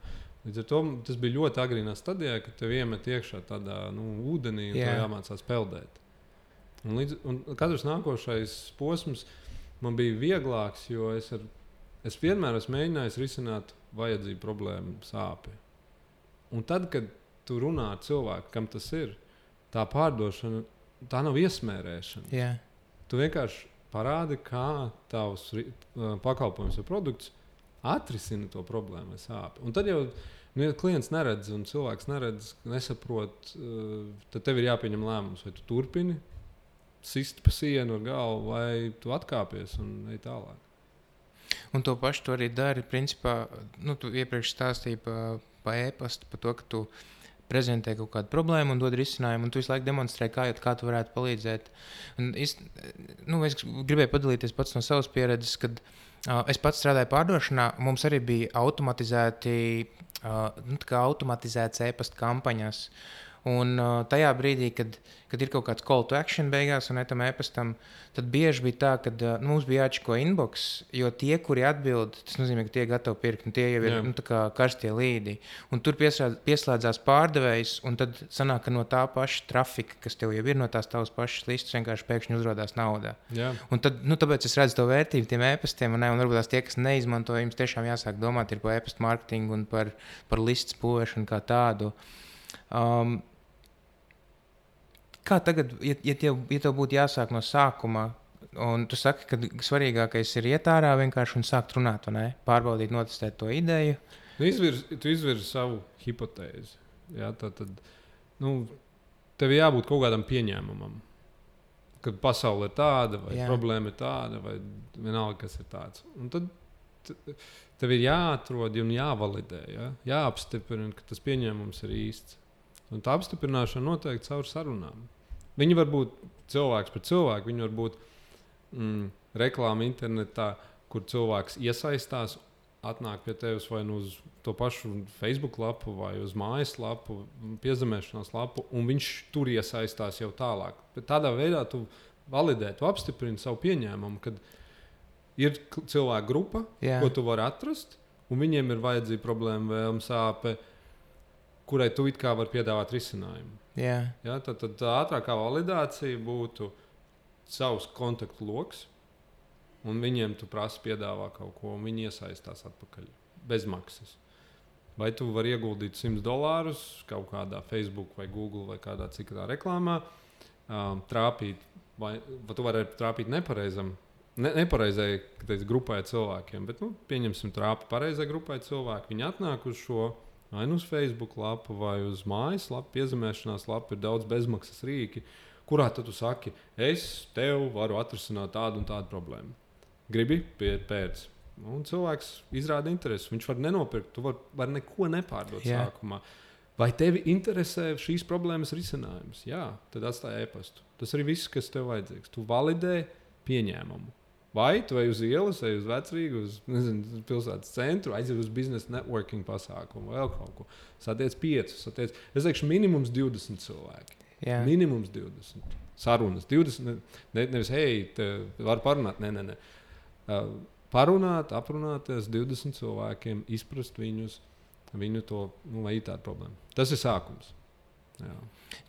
Līdz ar to tas bija ļoti agrīnā stadijā, kad tev iemet iekšā tādā nu, ūdenī un yeah. tev jāmācās peldēt. Un, līdz, un katrs nākošais posms man bija vieglāks, jo es, ar, es vienmēr esmu mēģinājis risināt vajadzību problēmu sāpi. Un tad, kad tu runā ar cilvēku, kam tas ir, tā pārdošana, tā nav iesmērēšana. Yeah. Tu vienkārši parādi, kā tavs pakalpojums vai produkts atrisina to problēmu vai sāpi. Un tad jau, nu, ja klients neredz un cilvēks neredz, nesaprot, tad tev ir jāpieņem lēmums, vai tu turpini sist pa sienu ar galvu, vai tu atkāpies un ej tālāk. Un to pašu tu arī dari, principā, nu, tu iepriekš stāstīji pa, pa e-pastu, pa to, ka tu prezentē kaut kādu problēmu un dod risinājumu, un tu visu laiku demonstrē, kā, kā tu varētu palīdzēt. Un es, nu, es gribēju padalīties pats no savas pieredzes, kad uh, es pats strādāju pārdošanā, mums arī bija automatizēti, uh, nu, tā kā automatizēts e-pasta kampaņas. Un uh, tajā brīdī, kad, kad ir kaut kāds call to action beigās un etam e-pastam, tad bieži bija tā, ka uh, nu, mums bija jāčiko inbox, jo tie, kuri atbild, tas nozīmē, ka tie ir gatavi pirkt, un tie jau ir nu, tā kā karstie līdi. Un tur pieslēdz, pieslēdzās pārdevējs, un tad sanāk, ka no tā paša trafika, kas tev jau ir no tās tavas pašas listas, vienkārši pēkšņi uzrodās naudā. Jā. Un tad, nu, tāpēc es redzu to vērtību tiem e-pastiem, un, ne, un varbūt tās tie, kas neizmanto, jums tiešām jāsāk domāt ir par e-pastu marketingu un par, par listas būvēšanu kā tādu. Um, Kā tagad, ja, ja, tev, ja tev būtu jāsāk no sākuma, un tu saki, ka svarīgākais ir iet ārā vienkārši un sākt runāt, vai ne? Pārbaudīt, notestēt to ideju? Nu, izvirz, tu izvirzi savu hipotēzi. Jā, tā tad, nu, tev jābūt kaut kādam pieņēmumam, kad pasaule ir tāda, vai jā. Problēma ir tāda, vai vienalga, kas ir tāds. Un tad tev ir jāatrod un jāvalidē, jā? Jāapstiprina, ka tas pieņēmums ir īsts. Un tā apstiprināšana noteikti caur sarunām. Viņi var būt cilvēks par cilvēku, viņi var būt mm, reklāma internetā, kur cilvēks iesaistās, atnāk pie tevis vai nu uz to pašu Facebook lapu vai uz mājas lapu, piezemēšanās lapu, un viņš tur iesaistās jau tālāk. Bet tādā veidā tu validē, tu apstiprini savu pieņēmumu, kad ir cilvēku grupa, Jā. Ko tu vari atrast, un viņiem ir vajadzīga problēma, vēlme, sāpe, kurai tu it kā vari piedāvāt risinājumu. Yeah. Ja, tad, tad tā ātrākā validācija būtu savs kontaktu loks, un viņiem tu prasi piedāvā kaut ko, un viņi iesaistās atpakaļ bez maksas. Vai tu vari ieguldīt simt dolārus kaut kādā Facebook vai Google vai kādā citā reklāmā, um, trāpīt, vai, vai tu vari trāpīt nepareizam, ne, nepareizai teic, grupai cilvēkiem, bet nu, pieņemsim trāpi pareizai grupai cilvēki, viņi atnāk uz šo vai nu uz Facebook lapu, vai uz mājas lapu, piezemēšanās lapu, ir daudz bezmaksas rīki, kurā tad tu saki, es tev varu atrisināt tādu un tādu problēmu. Gribi pieiet pēc. Un cilvēks izrāda interesi. Viņš var nenopirkt, tu var, var neko nepārdot Jā. Sākumā. Vai tevi interesē šīs problēmas risinājums? Jā, tad atstāj e-pastu. Tas arī viss, kas tev vajadzīgs. Tu validē pieņēmumu. Vai tu ej uz ielas, ej uz Vecrīgu, uz nezinu, pilsētas centru, aiziet uz biznesa networking pasākumu, vēl kaut ko. Satiec piecus, satiec. Es teikšu, minimums divdesmit cilvēki. Jā. Minimums divdesmit. Sarunas. divdesmit, ne, nevis, hei, te var parunāt. Nē, nē, nē. Uh, parunāt, aprunāties divdesmit cilvēkiem, izprast viņus, viņu to, nu, vai ir tāda problēma. Tas ir sākums. Jā.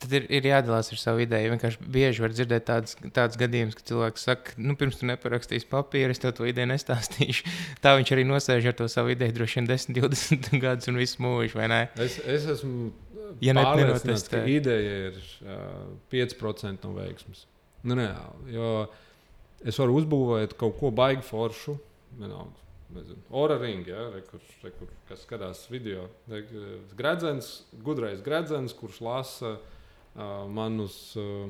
Tad ir, ir jādalās ar savu ideju. Vienkārši bieži var dzirdēt tādas, tādas gadījumus, ka cilvēks saka, nu, pirms tu neparakstīsi papīru, es tev to ideju nestāstīšu. Tā viņš arī nosēž ar to savu ideju droši vien desmit, divdesmit gadus un visu mūžu, vai ne? Es, es esmu ja pārliecināts, ka ideja ir uh, pieci procenti no veiksmes. Nu, reāli, jo es varu uzbūvēt kaut ko baigi foršu, vienalga. Nezinu, Ora ringi, ja, re, kur, re, kur, kas skatās video. Re, gredzens, gudrais gredzens, kurš lasa uh, manus uh,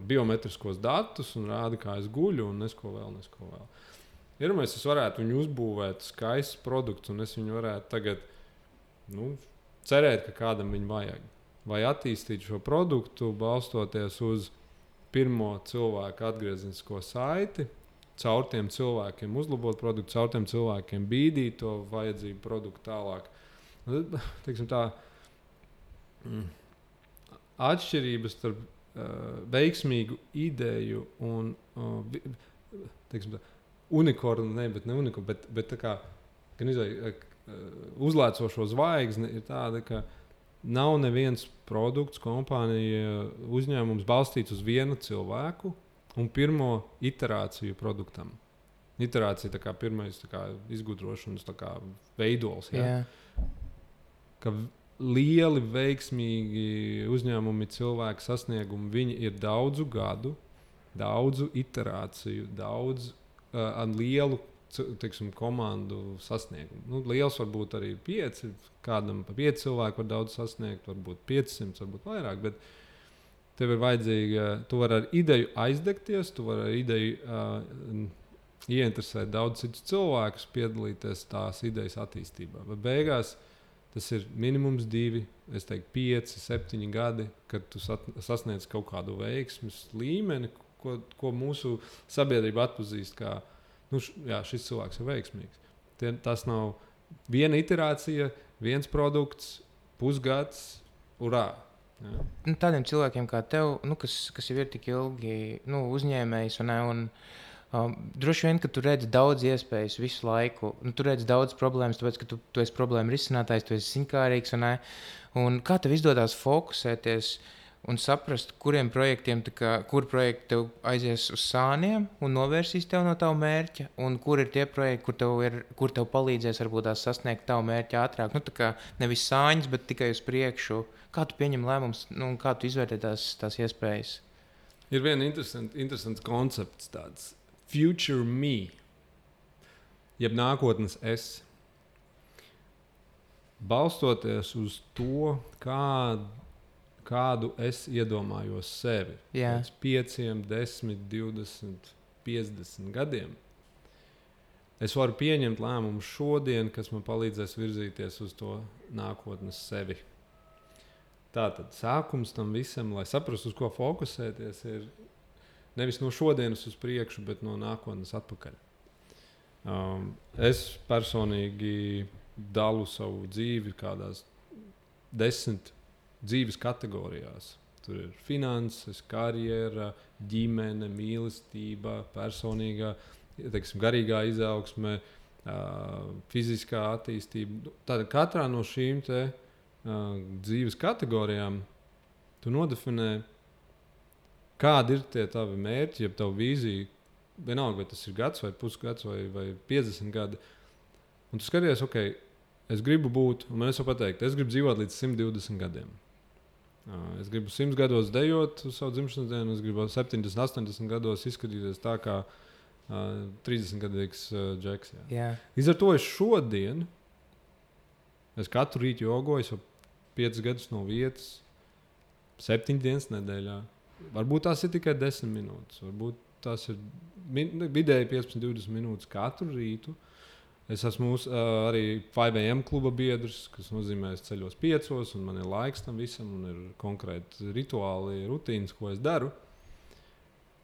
biometriskos datus un rāda, kā es guļu un nesko vēl, nesko vēl. Pirmais, es varētu viņu uzbūvēt skaists produkts un es viņu varētu tagad, nu, cerēt, ka kādam viņu vajag. Vai attīstīt šo produktu, balstoties uz pirmo cilvēku atgriezenisko saiti, caur tiem cilvēkiem uzlabot produktu, caur tiem cilvēkiem bīdīt to vajadzību produktu tālāk. Teiksim tā, atšķirības starp uh, veiksmīgu ideju un uh, teiksim tā, unikornu, ne, bet ne unikornu, bet, bet tā kā, gan izvēj, uh, uzlēcošo zvaigzni ir tāda, ka nav neviens produkts, kompānija, uzņēmums balstīts uz vienu cilvēku, un pirmo iterāciju produktam. Iterācija tā kā pirmais tā kā izgudrošanas tā kā veidols. Ja? Jā. Ka lieli, veiksmīgi uzņēmumi, cilvēki sasniegumi, viņi ir daudzu gadu, daudzu iterāciju, daudz uh, ar lielu teiksim, komandu sasniegumu. Nu, liels var būt arī pieci, kādam pa pieci cilvēki var daudz sasniegt, varbūt piecsimt, varbūt vairāk, bet tev ir vajadzīga, tu vari ar ideju aizdegties, tu vari ar ideju uh, ieinteresēt daudz citus cilvēkus, piedalīties tās idejas attīstībā. Bet beigās tas ir minimums divi, es teiktu, pieci, septiņi gadi, kad tu sasniedz kaut kādu veiksmes līmeni, ko, ko mūsu sabiedrība atpazīst kā, nu, š, jā, šis cilvēks ir veiksmīgs. Tie, tas nav viena iterācija, viens produkts, pusgads, urā! Nu, tādiem cilvēkiem kā tev, nu, kas, kas jau ir tik ilgi nu, uzņēmējs, un, un um, droši vien, ka tu redzi daudz iespējas visu laiku, nu, tu redzi daudz problēmas, tāpēc, ka tu, tu esi problēma risinātājs, tu esi ziņkārīgs, un, un kā tev izdodas fokusēties un saprast, kuriem projektiem, kā, kur projekti tev aizies uz sāniem un novērsīs tev no tava mērķa, un kur ir tie projekti, kur tev, ir, kur tev palīdzēs varbūt sasniegt tavu mērķi ātrāk. Nu, tā kā nevis sāņas, bet tikai uz priekšu. Kā tu pieņem lēmumus, nu, kā tu izvērtē tās, tās iespējas? Ir viens interesants, interesants koncepts, tāds future me, jeb nākotnes es. Balstoties uz to, kādu kādu es iedomājos sevi Jā. pēc pieciem, desmit, divdesmit, piecdesmit gadiem. Es varu pieņemt lēmumu šodien, kas man palīdzēs virzīties uz to nākotnes sevi. Tātad sākums tam visam, lai saprastu, uz ko fokusēties, ir nevis no šodienas uz priekšu, bet no nākotnes atpakaļ. Um, es personīgi dalu savu dzīvi kādās desmit dzīves kategorijās. Tur ir finanses, karjera, ģimene, mīlestība, personīgā, teiksim, garīgā izaugsme, uh, fiziskā attīstība. Tātad katrā no šīm te, uh, dzīves kategorijām tu nodefinē, kādi ir tie tavi mērķi, jeb tavu vīziju. Vienalga, vai tas ir gads, vai pusgads, vai, vai piecdesmit gadi. Un tu skaties, ok, es gribu būt, un man es varu pateikt, es gribu dzīvot līdz simt divdesmit gadiem. Es gribu simt gados dejot uz savu dzimšanas dienu, es gribu septiņdesmit, astoņdesmit gados izskatīties tā kā uh, trīsdesmitgadīgs uh, džeks. Jā. Jā. Līdz ar to es šodien, es katru rītu jogoju, es jau piecus gadus no vietas, septiņas dienas nedēļā. Varbūt tās ir tikai desmit minūtes, varbūt tās ir vidēji piecpadsmit, divdesmit minūtes katru rītu. Es esmu uz, uh, arī five a m kluba biedrs, kas nozīmē, es ceļos piecos, un man ir laiks tam visam, un ir konkrēti rituāli, rutīnas, ko es daru.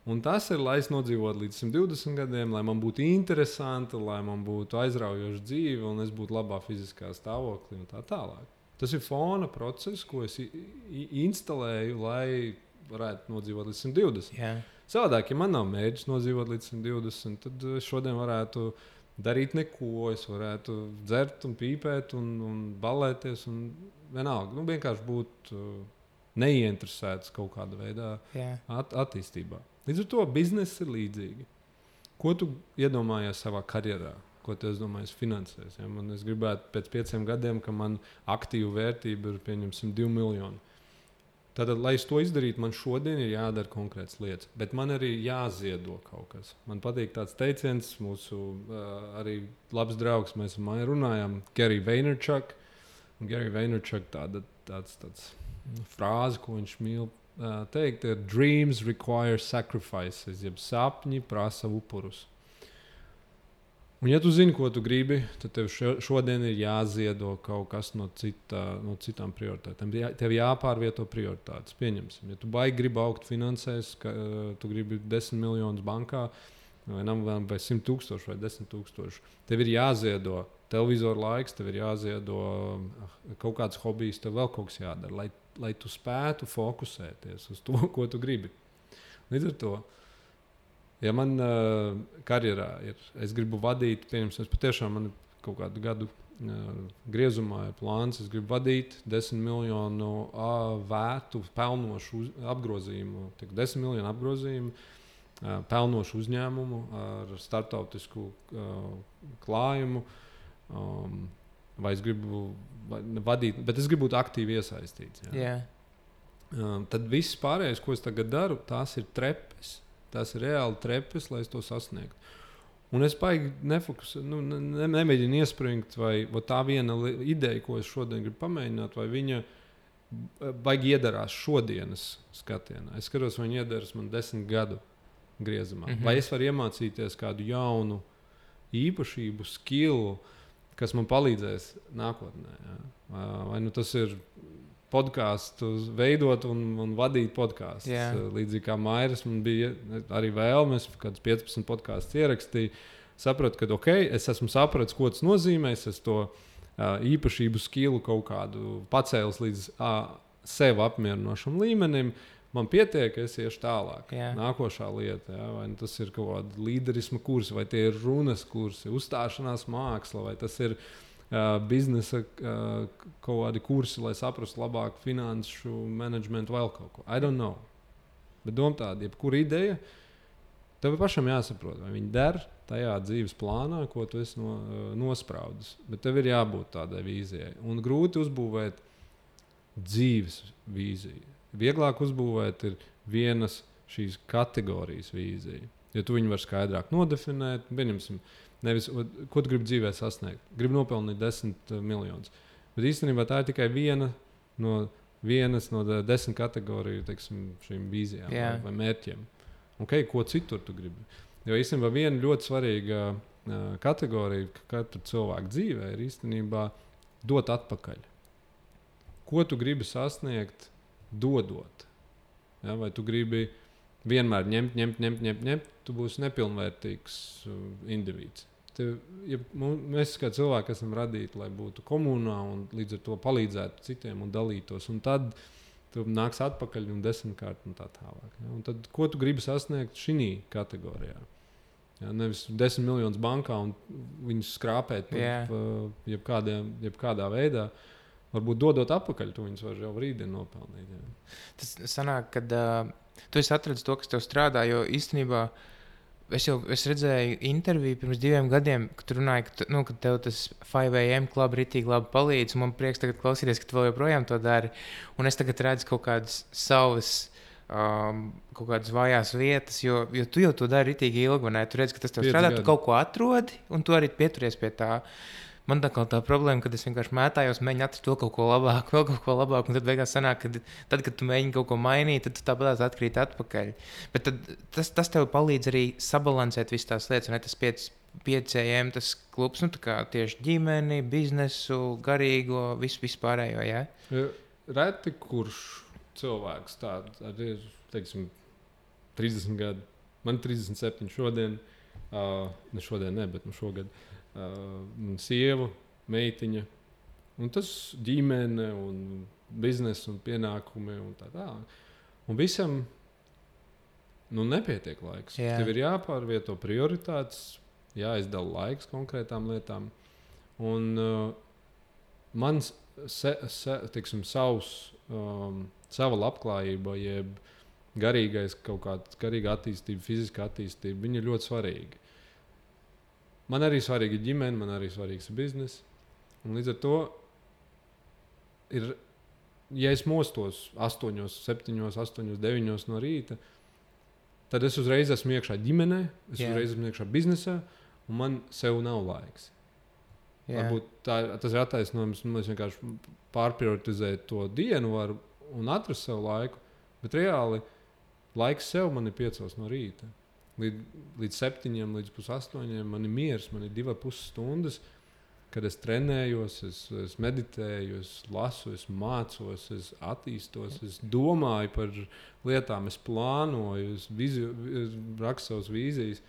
Un tas ir, lai es nodzīvotu līdz simt divdesmit gadiem, lai man būtu interesanti, lai man būtu aizraujoša dzīve un es būtu labā fiziskā stāvoklī un tā tālāk. Tas ir fona process, ko es instalēju, lai varētu nodzīvot līdz simt divdesmit. Yeah. Savādāk, ja man nav mērķis nodzīvot līdz simt divdesmit, tad es šodien varētu darīt neko, es varētu dzert un pīpēt un, un balēties un vienalga. Nu, vienkārši būt uh, neinteresēts kaut kādā veidā yeah. at, attīstībā. Līdz ar to biznesa ir līdzīga. Ko tu iedomājies savā karjerā? Ko tu iedomājies finansēs? Ja? Man, es gribētu pēc pieciem gadiem, ka man aktīvu vērtība ir pieņemsim divi miljoni. Tad, lai es to izdarītu, man šodien ir jādara konkrētas lietas. Bet man arī jāziedo kaut kas. Man patīk tāds teiciens, mūsu uh, arī labs draugs, mēs ar Maiju runājām, Gary Vaynerchuk. Gary Vaynerchuk tāda tāds, tāds frāze, ko viņš mīl uh, teikt, ir dreams require sacrifices, jeb sapņi prasa upurus. Un, ja tu zini, ko tu gribi, tad tev šodien ir jāziedo kaut kas no, cita, no citām prioritātēm. Tev jāpārvieto prioritātes. Pieņemsim, ja tu baigi gribi augt finansēs, ka uh, tu gribi desmit miljonus bankā, vai, vai simt tūkstoši vai desmit tūkstoši, tev ir jāziedo televizoru laiks, tev ir jāziedo uh, kaut kāds hobijs, tev vēl kaut kas jādara, lai, lai tu spētu fokusēties uz to, ko tu gribi. Līdz ar to, ja man uh, karjerā ir, es gribu vadīt, pieņemsim, es patiešām man kaut kādu gadu uh, griezumā ir plāns, es gribu vadīt desmit miljonu uh, vērtu pelnošu uz, apgrozījumu, tik desmit miljonu apgrozījumu, uh, pelnošu uzņēmumu ar startautisku uh, klājumu, um, vai es gribu vadīt, bet es gribu būt aktīvi iesaistīts. Ja? Yeah. Um, tad viss pārējais, ko es tagad daru, tās ir trepes. Tas ir reāli trepes, lai es to sasniegtu. Un es baigi nefokusēju, nu, ne, nemēģinu iespringt, vai, vai tā viena ideja, ko es šodien gribu pamēģināt, vai viņa baigi iedarās šodienas skatienā. Es skatos, vai viņa iedaras man desmit gadu griezumā. Mm-hmm. Vai es varu iemācīties kādu jaunu īpašību, skillu, kas man palīdzēs nākotnē. Ja? Vai nu tas ir podkāstu veidot un, un vadīt podkāstus. Yeah. Līdzīgi kā Mairis, man bija arī vēlme, es kādus piecpadsmit podkāstus ierakstīju. Sapratu, ka ok, es esmu sapratis, ko tas nozīmē. Es to uh, īpašību skilu kaut kādu pacēlis līdz uh, sev apmierinošam līmenim. Man pietiek, es iešu tālāk. Yeah. Nākošā lieta, ja? Vai tas ir kaut kāda līderisma kursi, vai tie ir runas kursi, uzstāšanās māksla, vai tas ir Uh, biznesa uh, kaut kādi kursi, lai saprastu labāk finanšu menedžmentu, vēl kaut ko. I don't know. Bet doma tāda, jebkura ideja, tev pašam jāsaprot, vai viņi der tajā dzīves plānā, ko tu esi no, uh, nospraudis. Bet tev ir jābūt tādai vīzijai. Un grūti uzbūvēt dzīves vīziju. Vieglāk uzbūvēt ir vienas šīs kategorijas vīzija. Ja tu viņu vari skaidrāk nodefinēt, pieņemsim, nevis, ko tu gribi dzīvē sasniegt. Gribu nopelnīt desmit miljonus. Bet īstenībā tā ir tikai viena no, vienas no desmit kategoriju teiksim, šīm vīzijām yeah. vai, vai mērķiem. Okay, ko citur tu gribi? Jo īstenībā viena ļoti svarīga uh, kategorija katra cilvēka dzīvē ir īstenībā dot atpakaļ. Ko tu gribi sasniegt, dodot? Ja, vai tu gribi vienmēr ņemt, ņemt, ņemt, ņemt, ņemt, tu būsi nepilnvērtīgs uh, indivīds. Tev, ja mēs kā cilvēki esam radīti, lai būtu komunā un līdz ar to palīdzētu citiem un dalītos. Un tad tu nāks atpakaļ un desmitkārt un tā tālāk. Ja? Un tad, ko tu gribi sasniegt šī kategorijā? Ja? Nevis desmit miljonus bankā un viņus skrāpēt pa, yeah. pa, jebkādā, jebkādā veidā. Varbūt dodot atpakaļ, tu viņus var jau rītdien nopelnīt. Ja? Tas sanāk, kad uh, tu esi atradis to, kas tev strādā, jo īstenībā es jau es redzēju interviju pirms diviem gadiem, kad tu runāji, ka, tu, nu, ka tev tas five a m klub ritīgi labi palīdz, un man prieks tagad klausīties, ka tu vēl joprojām to dari. Un es tagad redzu kaut kādas savas, um, kaut kādas vājās vietas, jo, jo tu jau to dari ritīgi ilgi, vai ne? Tu redzi, ka tas tev strādā, tu kaut ko atrodi, un tu arī pieturies pie tā. Man tā kā tā problēma, kad es vienkārši mētājos, mēģinu atrast to kaut ko labāku, vēl kaut ko labāku, un tad beigās sanāk, ka tad, kad tu mēģini kaut ko mainīt, tad tu tāpat atkrīt atpakaļ. Bet tad, tas, tas tev palīdz arī sabalansēt visas tās lietas, un ne tas pieci a m, tas klubs, nu tā kā tieši ģimeni, biznesu, garīgo, visu vispārējo, jā? Ja, reti kurš cilvēks tāds ir, teiksim, trīsdesmit gadu man trīsdesmit septiņi šodien, uh, ne šodien, ne, bet nu šogad, uh, sieva, meitiņa, un tas ģimene, un biznesa, un pienākumi, un tā tā. Un visam, nu, nepietiek laiks. Jā. Tev ir jāpārvieto prioritātes, jāizdala laiks konkrētām lietām. Un uh, mans, se, se, tiksim, savs, um, sava labklājība, jeb garīgais kaut kāda garīga attīstība, fiziska attīstība, viņi ir ļoti svarīgi. Man arī svarīga ģimene, man arī svarīgs bizness. Un līdz ar to ir, ja es mostos astoņos, septiņos, astoņos, deviņos no rīta, tad es uzreiz esmu iekšā ģimenē, es Jā. uzreiz esmu iekšā biznesā, un man sev nav laiks. Jā. Varbūt tā, tas ir attaisnojums, un es vienkārši pārprioritizēju to dienu varu un atrast sev laiku, bet reāli laiks sev man ir piecos no rīta. Līdz, līdz septiņiem, līdz pusastoņiem man ir miers, man ir divas pus stundas, kad es trenējos, es, es meditēju, es lasu, es mācos, es attīstos, es domāju par lietām, es plānoju, es, vizio, es rakstu savas vīzijas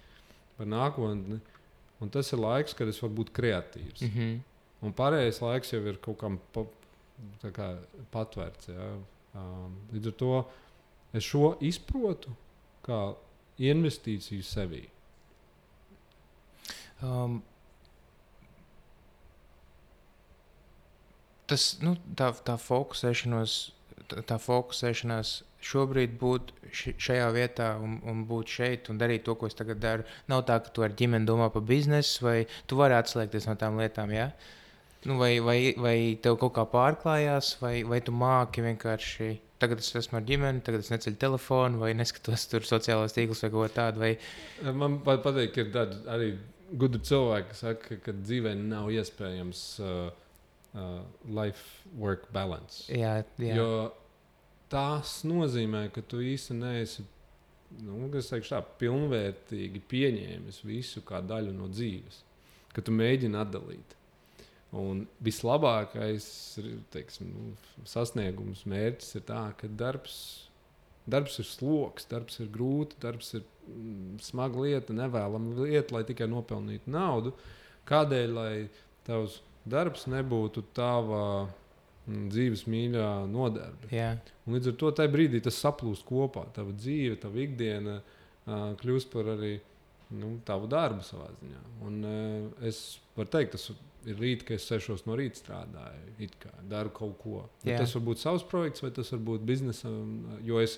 par nākotni. Un tas ir laiks, kad es varu būt kreatīvs. Mm-hmm. Un pārējais laiks jau ir kaut kam pa, tā kā patvērts. Ja? Um, līdz ar to es šo izprotu kā investīciju sevī. Um, tas, nu, tā, tā fokusēšanos, tā, tā fokusēšanās šobrīd būt šajā vietā un, un būt šeit un darīt to, ko es tagad daru. Nav tā, ka tu ar ģimeni domā par biznesu, vai tu vari atslēgties no tām lietām, ja? Nu, vai, vai, vai tev kaut kā pārklājās, vai, vai tu māki vienkārši... Tagad es esmu ar ģimeni, tagad es neceļu telefonu, vai neskatos tur sociālos tīklus vai kaut tādu. Vai... Man patīk, ka ir tādi arī gudri cilvēki, kas saka, ka dzīvē nav iespējams uh, uh, life-work balance. Jā, jā. Jo tas nozīmē, ka tu īsti neesi, nu, es teikšu tā, pilnvērtīgi pieņēmis visu kā daļu no dzīves, ka tu mēģini atdalīt. Un vislabākais teiksim, nu, sasniegums, mērķis ir tā, ka darbs, darbs ir sloks, darbs ir grūti, darbs ir mm, smaga lieta, nevēlama lieta, lai tikai nopelnītu naudu. Kādēļ, lai tavs darbs nebūtu tava mm, dzīves mīļā nodarbe? Yeah. Un līdz ar to tajā brīdī tas saplūst kopā. Tava dzīve, tava ikdiena uh, kļūst par arī nu, tavu darbu savā ziņā. Un uh, es varu teikt, tas ir rīt, ka es sešos no rīta strādāju, it kā daru kaut ko. Tas var būt savs projekts, vai tas var būt biznesa, jo es,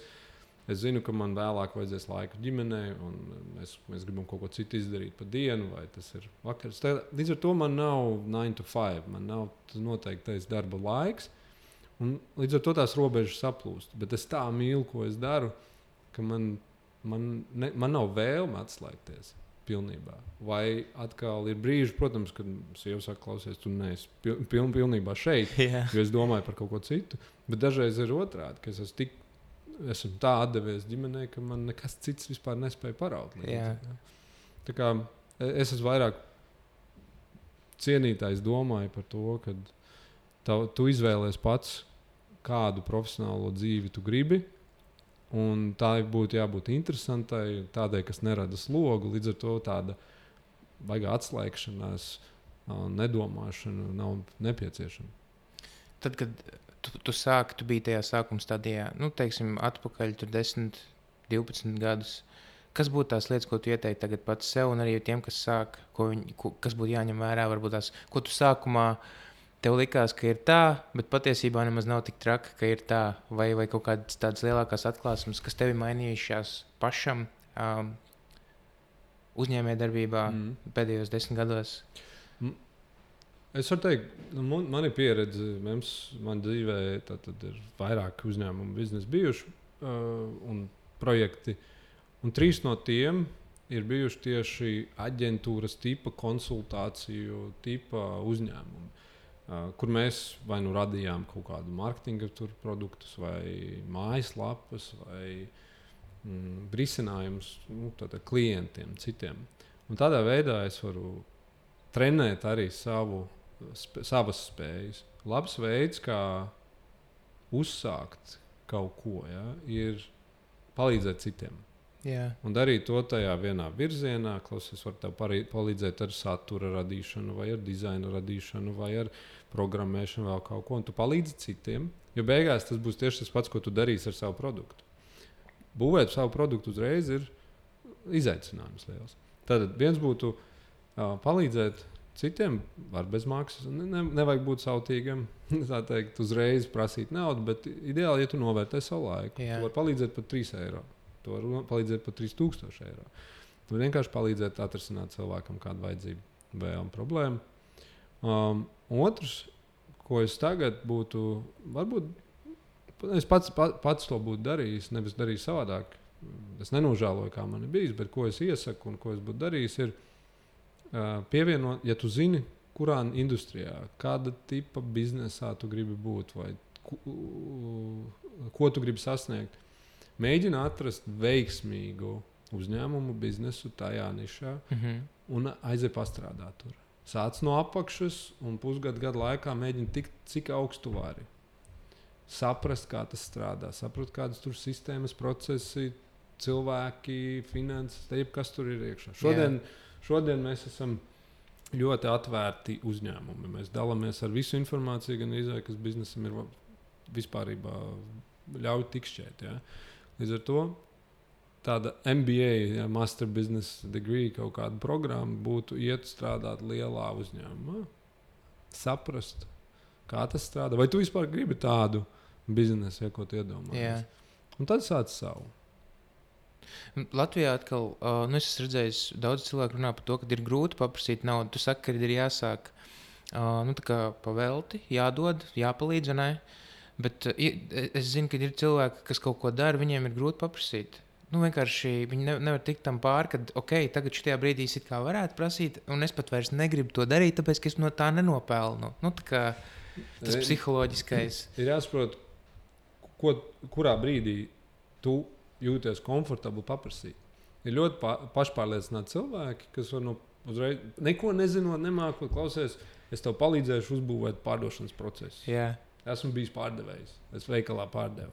es zinu, ka man vēlāk vajadzēs laiku ģimenei, un mēs, mēs gribam kaut ko citu izdarīt pa dienu, vai tas ir vakars. Tā, līdz ar to man nav nine to five, man nav noteiktais darba laiks, un līdz ar to tās robežas saplūst. Bet es tā mīlu, ko es daru, ka man, man, ne, man nav vēlme atslēgties. Pilnībā. Vai atkal ir brīži, protams, kad sieva saka, klausies, tu neesi piln, piln, pilnībā šeit, yeah. jo es domāju par kaut ko citu. Bet dažreiz ir otrādi, ka es esmu, tik, esmu tā atdevies ģimenei, ka man nekas cits vispār nespēja paraut. Yeah. Tā kā es esmu vairāk cienītājs domāju par to, ka tav, tu izvēlies pats, kādu profesionālo dzīvi tu gribi. Un tā būtu jābūt interesantai, tādai, kas nerada slogu. Līdz ar to tāda baigā atslēgšanās, nedomāšana nav nepieciešama. Tad, kad tu, tu sāki, tu biji tajā sākuma stadijā, nu, teiksim, atpakaļ tur desmit, divpadsmit gadus. Kas būtu tās lietas, ko tu ieteiktu tagad pats sev un arī tiem, kas sāk, ko viņi, ko, kas būtu jāņem vērā, varbūt tās, ko tu sākumā tev likās, ka ir tā, bet patiesībā nemaz nav tik traki, ka ir tā, vai, vai kaut kādas tādas lielākās atklāsmes, kas tevi mainījušās pašam um, uzņēmējdarbībā mm. pēdējos desmit gados? Es varu teikt, man, man ir pieredze, mums, man dzīvē tad, tad ir vairāk uzņēmumu biznesa bijuši uh, un projekti, un trīs no tiem ir bijuši tieši aģentūras tipa konsultāciju tipa uzņēmumi. Uh, kur mēs vai nu radījām kaut kādu mārketinga produktus, vai mājaslapas, vai mm, risinājumus nu, klientiem, citiem. Un tādā veidā es varu trenēt arī savu, sp savas spējas. Labs veids, kā uzsākt kaut ko, ja, ir palīdzēt citiem. Jā. Un darīt to tajā vienā virzienā, klausies, var tev parī, palīdzēt ar satura radīšanu, vai ar dizaina radīšanu, vai ar programmēšanu, vēl kaut ko. Un tu palīdzi citiem, jo beigās tas būs tieši tas pats, ko tu darīsi ar savu produktu. Būvēt savu produktu uzreiz ir izaicinājums liels. Tad viens būtu uh, palīdzēt citiem, var bez maksas. Ne, ne, nevajag būt sautīgam, tā teikt, uzreiz prasīt naudu, bet ideāli, ja tu novērtē savu laiku, Jā. tu vari palīdzēt par trīs eiro. Tu vari palīdzēt par trīs tūkstoši eiro. Tu vari vienkārši palīdzēt atrisināt cilvēkam kādu vajadzību, vēlmu, problēmu. Um, otrs, ko es tagad būtu, varbūt es pats, pats to būtu darījis, nevis darījis savādāk. Es nenožēloju, kā man ir bijis, bet ko es iesaku un ko es būtu darījis, ir uh, pievienot, ja tu zini, kurā industrijā, kāda tipa biznesā tu gribi būt vai ku, ko tu gribi sasniegt. Mēģina atrast veiksmīgu uzņēmumu, biznesu tajā nišā mm-hmm. un aiziet pastrādāt tur. Sāc no apakšas un pusgadu gadu laikā mēģina tikt, cik augstu vari. Saprast, kā tas strādā, saprast, kādas tur sistēmas, procesi, cilvēki, finanses, te jebkas tur ir iekšā. Šodien, šodien mēs esam ļoti atvērti uzņēmumi. Mēs dalāmies ar visu informāciju, gan izvēle, kas biznesam ir vispārībā ļauj tikšķēt. Ja? Līdz ar to tāda M B A, ja, Master Business Degree, kaut kāda programma būtu iet strādāt lielā uzņēmumā, saprast, kā tas strādā. Vai tu vispār gribi tādu biznesu, ja, ko tu iedomājies? Un tad sāc savu. Latvijā atkal, uh, nu es esmu redzējis, daudz cilvēku runā par to, ka ir grūti paprasīt naudu. Tu saki, ka ir jāsāk uh, nu, tā kā pavelti, jādod, jāpalīdz, vai ne? Bet uh, es zinu, ka ir cilvēki, kas kaut ko dara, viņiem ir grūti paprasīt. Nu, vienkārši viņi ne, nevar tikt tam pāri, ka, ok, tagad šajā brīdī es it kā varētu prasīt, un es pat vairs negribu to darīt, tāpēc, ka es no tā nenopelnu. Nu, tā kā tas ir, psiholoģiskais. Ir jāsaprot, ko, kurā brīdī tu jūties komfortabli paprasīt. Ir ļoti pa, pašpārliecināti cilvēki, kas var no uzreiz, neko nezinot, nemākot, klausies, es tev palīdzēšu uzbūvēt pārdošanas procesu. Jā. Esmu bijis pārdevējs, es veikalā pārdevu.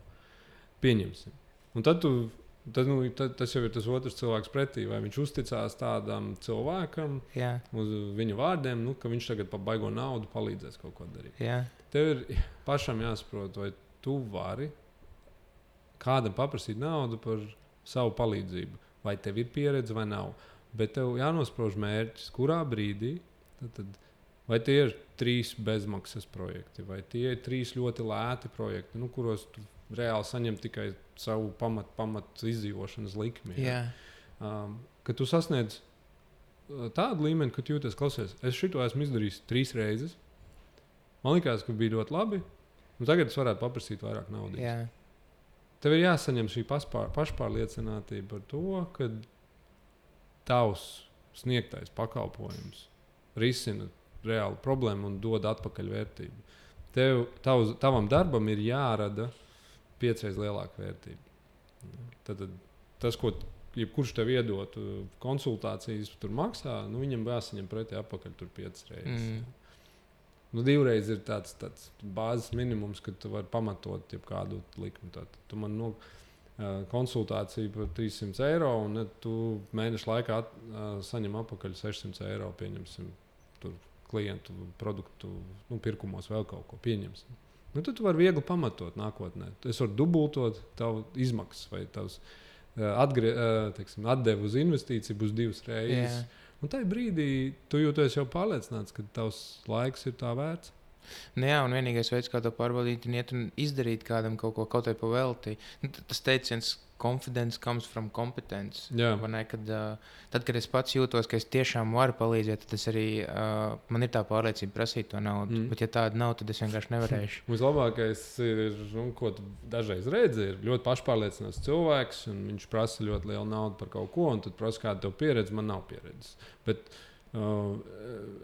Pieņemsim. Un tad, tu, tad, nu, tad tas jau ir tas otrs cilvēks pretī, vai viņš uzticās tādam cilvēkam Jā. Uz viņa vārdiem, nu, ka viņš tagad pa baigo naudu palīdzēs kaut ko darīt. Jā. Tev ir pašam jāsaprot, vai tu vari kādam paprasīt naudu par savu palīdzību. Vai tev ir pieredze vai nav. Bet tev jānosprauž mērķis, kurā brīdī, tad, tad, vai tie ir trīs bezmaksas projekti, vai tie ir trīs ļoti lēti projekti, nu, kuros tu reāli saņem tikai savu pamat, pamat izdzīvošanas likmi. Ja? Um, kad tu sasniedz tādu līmeni, ka tu jūties, klausies, es šito esmu izdarījis trīs reizes, man likās, ka bija ļoti labi, un tagad es varētu paprasīt vairāk naudas. Jā. Tev ir jāsaņem šī pašpār, pašpārliecinātība par to, ka tavs sniegtais pakalpojums risina reālu problēmu un dod atpakaļ vērtību. Tev, tavs, tavam darbam ir jārada piecreiz lielāka vērtība. Tad, tad tas, ko jebkurš tev iedot konsultācijas, tur maksā, nu, viņam jāsaņem pretī atpakaļ tur piecas reizes. Mm. Nu, divreiz ir tāds, tāds bāzes minimums, ka tu vari pamatot kādu likmi. Tad tu man no, uh, konsultāciju par trīs simtus eiro, un ne, tu mēnešu laikā at, uh, saņem atpakaļ sešsimt eiro, pieņemsim, tur klientu produktu nu, pirkumos vēl kaut ko pieņemsim. Nu, tad tu vari viegli pamatot nākotnē. Es varu dubultot tavu izmaksas vai tavs uh, atgrie, uh, teiksim, atdevu uz investīciju būs divas reizes. Yeah. Un tajā brīdī tu jūties jau pārliecināts, ka tavs laiks ir tā vērts. Nu jā, un vienīgais veids, kā to pārbaudīt, ir iet un izdarīt kādam kaut ko, kaut vai pa velti. Nu, tas teiciens, confidence comes from competence. Ne, kad, uh, tad, kad es pats jūtos, ka es tiešām varu palīdzēt, tad es arī, uh, man ir tā pārliecība prasīt to naudu. Mm. Bet ja tāda nav, tad es vienkārši nevarēšu. Vislabākais ir, nu, ko tu dažreiz redzi, ir ļoti pašpārliecināts cilvēks, un viņš prasa ļoti lielu naudu par kaut ko, un tad prasa, kāda tev pieredze, man nav pieredzes. Bet uh,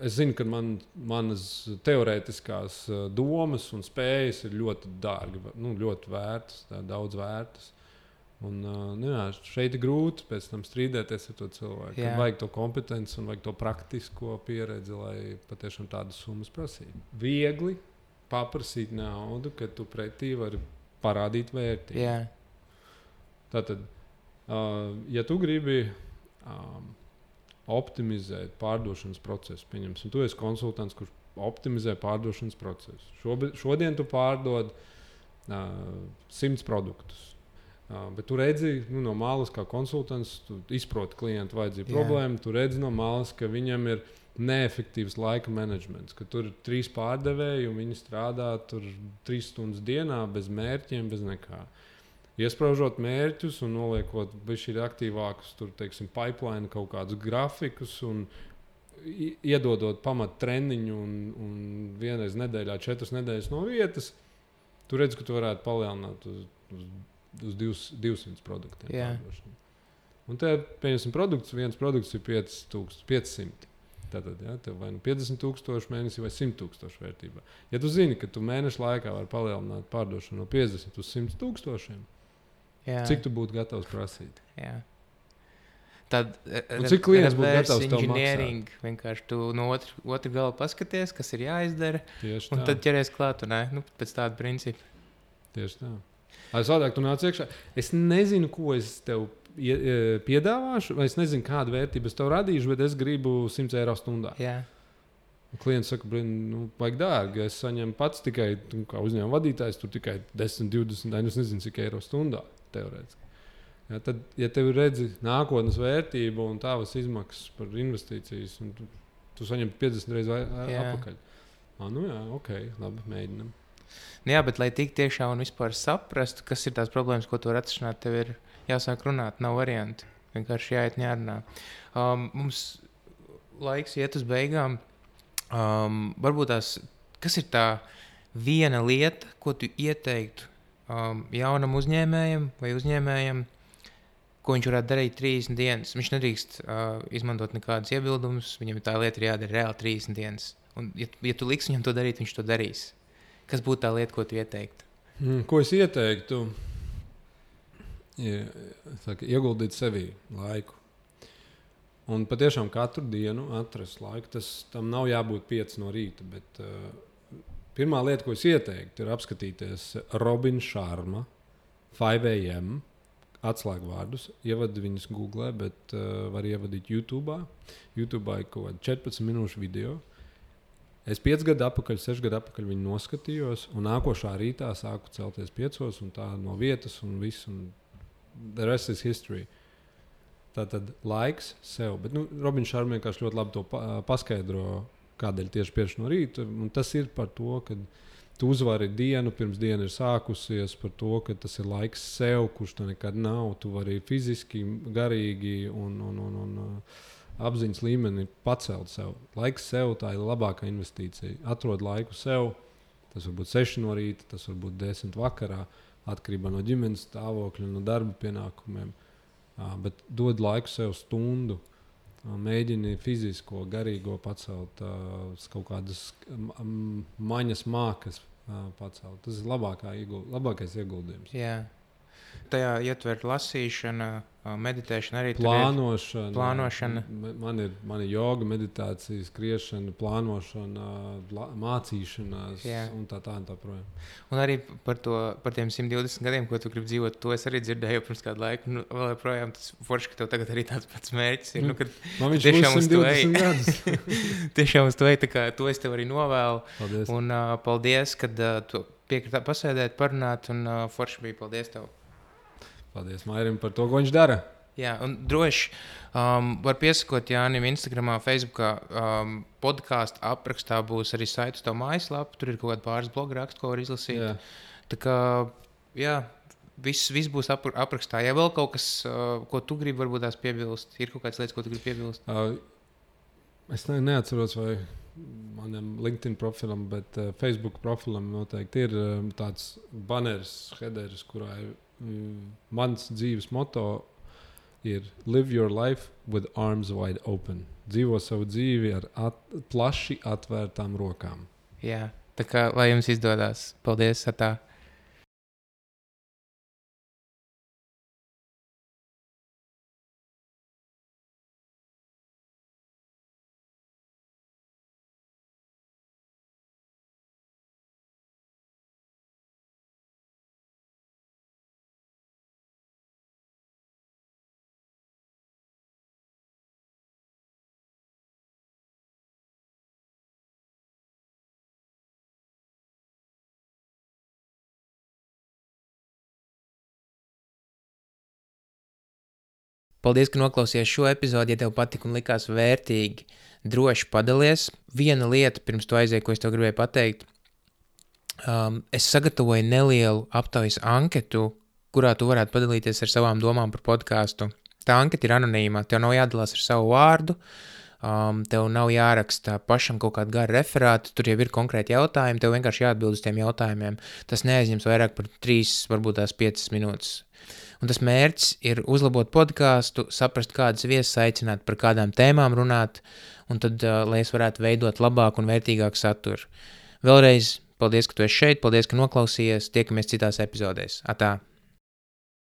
es zinu, ka man, manas teorētiskās uh, domas un spējas ir ļoti dārgi, nu, ļoti vērtas, tā, daudz vērtas. Un, uh, nu, jā, šeit ir grūti pēc tam strīdēties ar to cilvēku. Vajag to kompetenci un vajag to praktisko pieredzi, lai patiešām tādas summas prasītu. Viegli paprasīt naudu, kad tu pretī vari parādīt vērtību. Jā. Tātad Uh, ja tu gribi um, optimizēt pārdošanas procesu, pieņemsim, tu esi konsultants, kurš optimizē pārdošanas procesu. Šobi, šodien tu pārdod uh, simts produktus. Uh, bet tu redzi, nu, no malas, kā konsultants, tu izproti klientu vajadzību problēmu. Tu redzi no malas, ka viņam ir neefektīvs laika menedžments, ka tur ir trīs pārdevēji un viņi strādā tur trīs stundas dienā bez mērķiem, bez nekā. Iespraužot mērķus un noliekot bišķi aktīvākus, tur, teiksim, pipeline kaut kādus grafikus un iedodot pamat treniņu un, un vienreiz nedēļā, četras nedēļas no vietas, tu redz, ka tu varētu palielināt uz, uz, uz divsimt produktiem. Yeah. Un te, pieņemsim, produkts, viens produkts ir piecsimt. Tātad, ja, tev vai nu piecdesmit tūkstoši mēnesī vai simt tūkstoši vērtībā. Ja tu zini, ka tu mēnešu laikā vari palielināt pārdošanu no piecdesmit uz simt tūkstošiem, jā. Cik tu būtu gatavs prasīt? Jā. Tad un cik klients būtu gatavs tev maksāt? Vienkārši tu no otru, otru galu paskaties, kas ir jāizdara, tieši un tā. Tad ķeries klāt, un, nu, pēc tāda principa. Tieši tā. Ai, savādāk tu nāc iekšā. Es nezinu, ko es tev piedāvāšu, vai es nezinu, kādu vērtību es tev radīšu, bet es gribu simt eiro stundā. Jā. Klients saka, nu, vajag dārgi. Es saņemu pats tikai, nu, kā uzņēmuma vadītājs, tur tikai desmit, divdesmit, es nezinu, cik eiro stundā. Teorētiski. Ja, tad, ja tev redzi nākotnes vērtību un tavas izmaksas par investīcijas, un tu, tu saņem piecdesmit reizes atpakaļ. Ah, nu jā, ok, labi, mēģinam. Jā, bet lai tik tiešā un vispār saprastu, kas ir tās problēmas, ko tu var atrisināt, tev ir jāsāk runāt, nav varianti. Vienkārši jāiet un jārunā. Um, mums laiks iet uz beigām. Um, varbūt tās, kas ir tā viena lieta, ko tu ieteiktu Um, jaunam uzņēmējam vai uzņēmējam, ko viņš varētu darīt trīsdesmit dienas. Viņš nedrīkst uh, izmantot nekādus iebildumus, viņam tā lieta ir jādara reāli trīsdesmit dienas. Un, ja, ja tu liksi viņam to darīt, viņš to darīs. Kas būtu tā lieta, ko tu ieteiktu? Mm, ko es ieteiktu? Ja, saka, ieguldīt sevī laiku. Un patiešām katru dienu atrast laiku. Tas, tam nav jābūt pieci no rīta, bet uh, pirmā lieta, ko es ieteiktu, ir apskatīties Robina Sharma, five a m atslēgvārdus. Ievadi viņus Google, bet uh, var ievadīt YouTube. YouTube ir kaut kāda četrpadsmit minūšu video. Es pieci gadu atpakaļ, seši gadu atpakaļ viņu noskatījos, un nākošā rītā sāku celties piecos, un tā no vietas, un viss, un the rest is history. Tā tad laiks sev. Bet, nu, Robina Sharma vienkārši ļoti labi to pa, paskaidro, kādēļ tieši pieši no rīta. Un tas ir par to, ka tu uzvari dienu, pirms diena ir sākusies, par to, ka tas ir laiks sev, kurš tu nekad nav. Tu vari fiziski, garīgi un, un, un, un apziņas līmeni pacelt sev. Laiks sev, tā ir labākā investīcija. Atrod laiku sev, tas var būt seši no rīta, tas var būt desmit vakarā, atkarībā no ģimenes stāvokļa, no darba pienākumiem. Uh, bet dod laiku sev stundu. Mēģini fizisko, garīgo pacelt, uh, kaut kādas um, maņas mākas uh, pacelt. Tas ir labākā ieguld, labākais ieguldījums. Jā. Tajā ietver lasīšana, meditēšana, arī plānošana. plānošana. Man ir, man ir joga, meditācija, skriešana, plānošana, la, mācīšanās Jā. un tā tā un tā projām. Un arī par, to, par tiem simt divdesmit gadiem, ko tu gribi dzīvot, to es arī dzirdēju pirms kādu laiku. Nu, vēl joprojām tas forši, ka tev tagad arī tāds pats mērķis ir. Nu, kad man viņš būs simt divdesmit gadus. Tiešām uz to ej, tā kā to es tev arī novēlu. Paldies. Un uh, paldies, kad uh, tu piekritā pasēdēt, parunāt, un uh, forši bija paldies tev. Paldies Mairim par to, ko viņš dara. Jā, un droši um, var piesakot Jānim Instagramā, Facebookā. Um, podkāstu aprakstā būs arī saite uz tavu mājaslapu. Tur ir kaut kāda pāris bloga rakstu, ko var izlasīt. Jā. Tā kā, jā, viss, viss būs ap, aprakstā. Ja vēl kaut kas, uh, ko tu gribi varbūt tās piebilst, ir kaut kādas lietas, ko tu gribi piebilst? Uh, es ne, neatceros, vai manam LinkedIn profilam, bet uh, Facebook profilam noteikti ir um, tāds banners, headers, kurā ir Mm, mans dzīves moto ir live your life with arms wide open. Dzīvo savu dzīvi ar at, plaši atvērtām rokām. Jā, tā kā lai jums izdodas. Paldies, atā. Paldies, ka noklausījies šo epizodi. Ja tev patika un likās vērtīgi, droši padalies. Viena lieta, pirms tu aizēji, ko es tev gribēju pateikt. Um, es sagatavoju nelielu aptaujas anketu, kurā tu varētu padalīties ar savām domām par podcastu. Tā anketa ir anonīma. Tev nav jādalās ar savu vārdu. Um, tev nav jāraksta pašam kaut kādu garu referātu, tur jau ir konkrēti jautājumi, tev vienkārši jāatbild uz tiem jautājumiem. Tas neaizņems vairāk par trīs, varbūt tās piecas minūtes. Un tas mērķis ir uzlabot podcastu, saprast, kādas viesas aicināt, par kādām tēmām runāt, un tad, uh, lai es varētu veidot labāku un vērtīgāku saturu. Vēlreiz paldies, ka tu esi šeit, paldies, ka noklausījies, tiekamies citās epizodēs. Atā!